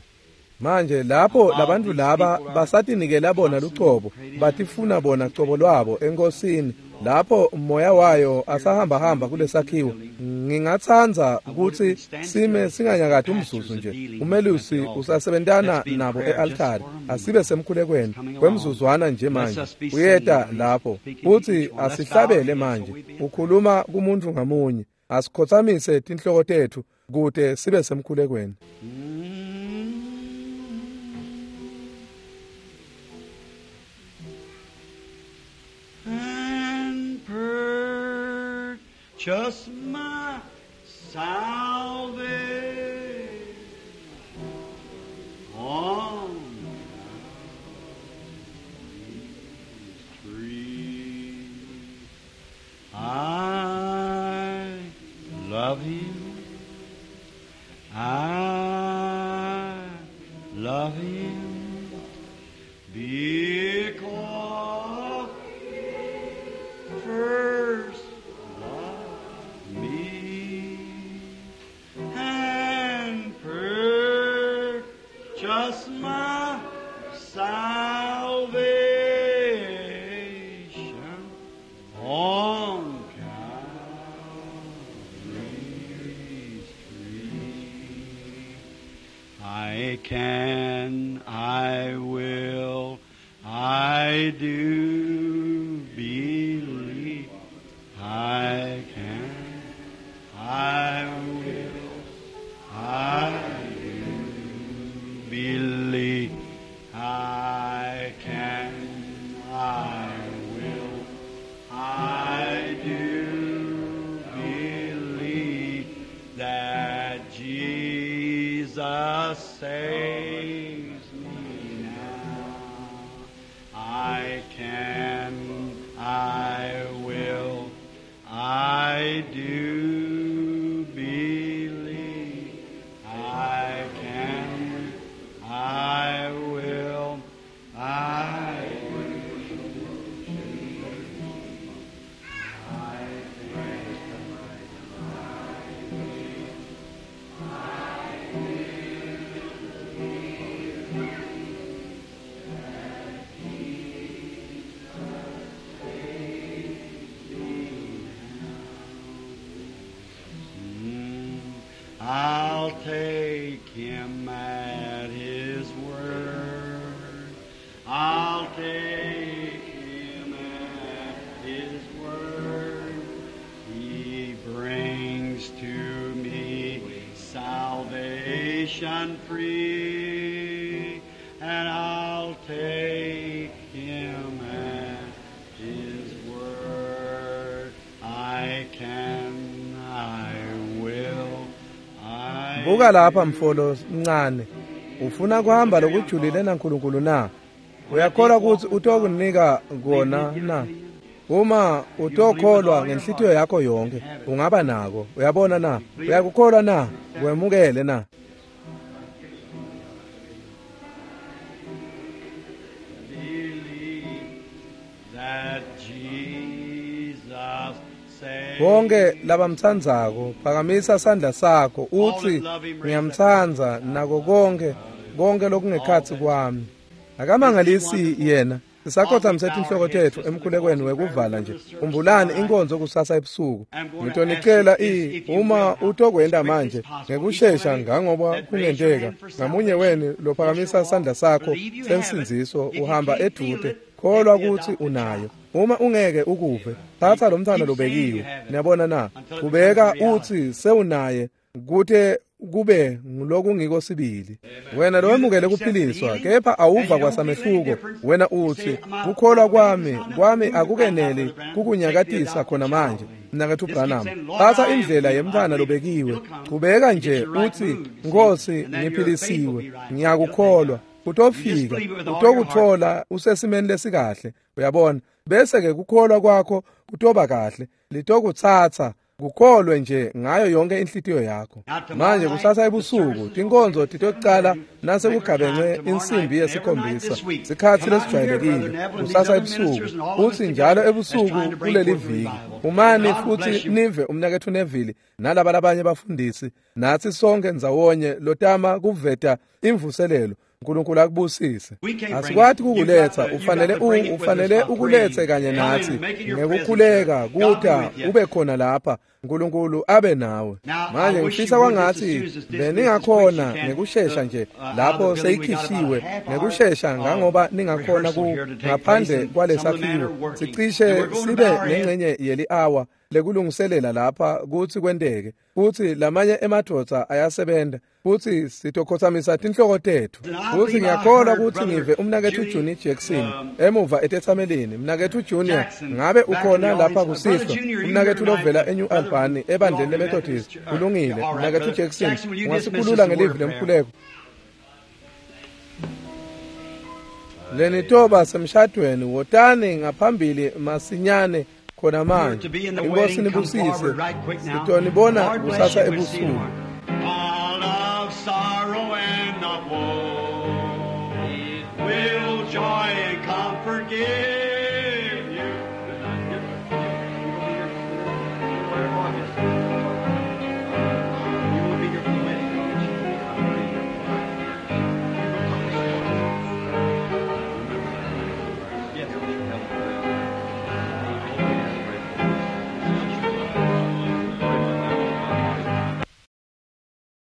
Manje lapho labantu laba basatinikela bona lucobo, batifuna bona cobo lwabo enkosini, lapho moya wayo asahamba hamba kulesakhiwo. Ngingatsandza kutsi sime singanyakati umzuzu nje. Umelusi usasebentana nabo e-altari. Asibe semkhulekweni kwemzuzwana nje manje. Uyeta lapho futsi asihlabele manje. Ukhuluma kumuntu ngamunye. Asikhotsamise tinhloko tetfu kute sibe semkhulekweni. And purchase salvation on Calvary's tree. I love him. I love him because he first loved me and purchased my salvation on Calvary's tree. I can, I will, I do believe. I can, I will, I do believe. I can, I will, I do believe that Jesus saves me now. I can, I will, I do believe. I can, I will, I do. I'll take him at his word. I'll take him at his word. He brings to me salvation free, and I'll take him at his word. I can, I will, I Buka lapha mfolo mncane. Ufuna kuhamba lokujulile naNkulunkulu na? Uyakholwa ukuthi utokunika kona na? Uma utokholwa ngenhlitiyo yakho yonke, ungaba nako. Uyabona na? Uyakukholwa na? Wemukele na? believe that Jesus saves. Bonke labamtsandzako phakamisa sandla sakho uthi ngiyamtsandza nako konke konke lokungekhatsi kwami. Akamangalisi yena. Sisakhothamise tinhloko tetfu emkhulekweni wekuvala nje. Khumbulani inkonzo kusasa ebusuku. Ngitonicela uma utokwenta manje ngekushesha ngangoba kungenteka. Ngamunye wenu lophakamisa sandla sakho sensindziso uhamba edvute. Kholwa kutsi unayo. Uma ungeke ukuve, thatha lo mntwana lobekiwe. Niyabona na? Kubeka uthi sewunaye kute kube ngulokungiko sibili. Wena lowemukele kuphiliswa kepha awuva kwasamehluko. Wena uthi kukholwa kwami akukeneli kukunyakatisa khona manje. Mnaketfu Branham, thatha indlela yemntwana lobekiwe. Chubeka nje uthi Nkosi ngiphilisiwe, ngiyakukholwa. Utofika, utokuthola usesimeni lesikahle. Uyabona? Bese ke kukholwa kwakho kutoba kahle. Litokutsatsa kukholwe nje ngayo yonke inhlitiyo yakho. Manje kusasa ebusuku tinkonzo titocala nasekugabence insimbi yesikhombisa, sikhatsi lesijwayelekile kusasa ebusuku, futsi njalo ebusuku kuleli viki. Umani futsi nive umnaketfu Neville nalaba labanye bafundisi natsi sonke ndzawonye lotama kuveta imvuselelo. uNkulunkulu akubusise. Asikwati kukuletsa, ufanele ukuletse kanye natsi ngekukhuleka kuta ube khona lapha. uNkulunkulu abe nawe. Manje ngifisa kwangathi beningakhona ngekushesha nje lapho seyikhishiwe ngekushesha ngangoba ningakhona ku ngaphandle kwalesakhiwo sicishe sibe nengcenye yeli-hour lekulungiselela lapha kutsi kwenteke, futsi lamanye emadvodza ayasebenta, futsi sitokhotsamisa tinhloko tetfu. Futsi ngiyakholwa kutsi ngive umnaketfu Junior Jackson emuva etetsamelini. Mnaketfu Junior, ngabe ukhona lapha kusihlwa? Umnaketfu lovela eNew Albany ebandleni leMethodist. Kulungile, mnaketfu Jackson, ungasikhulula ngelivi lemkhuleko. Lenitoba semshadweni, wotani ngaphambili masinyane khona manje. Inkosi nibusise. Sitonibona kusasa ebusuku.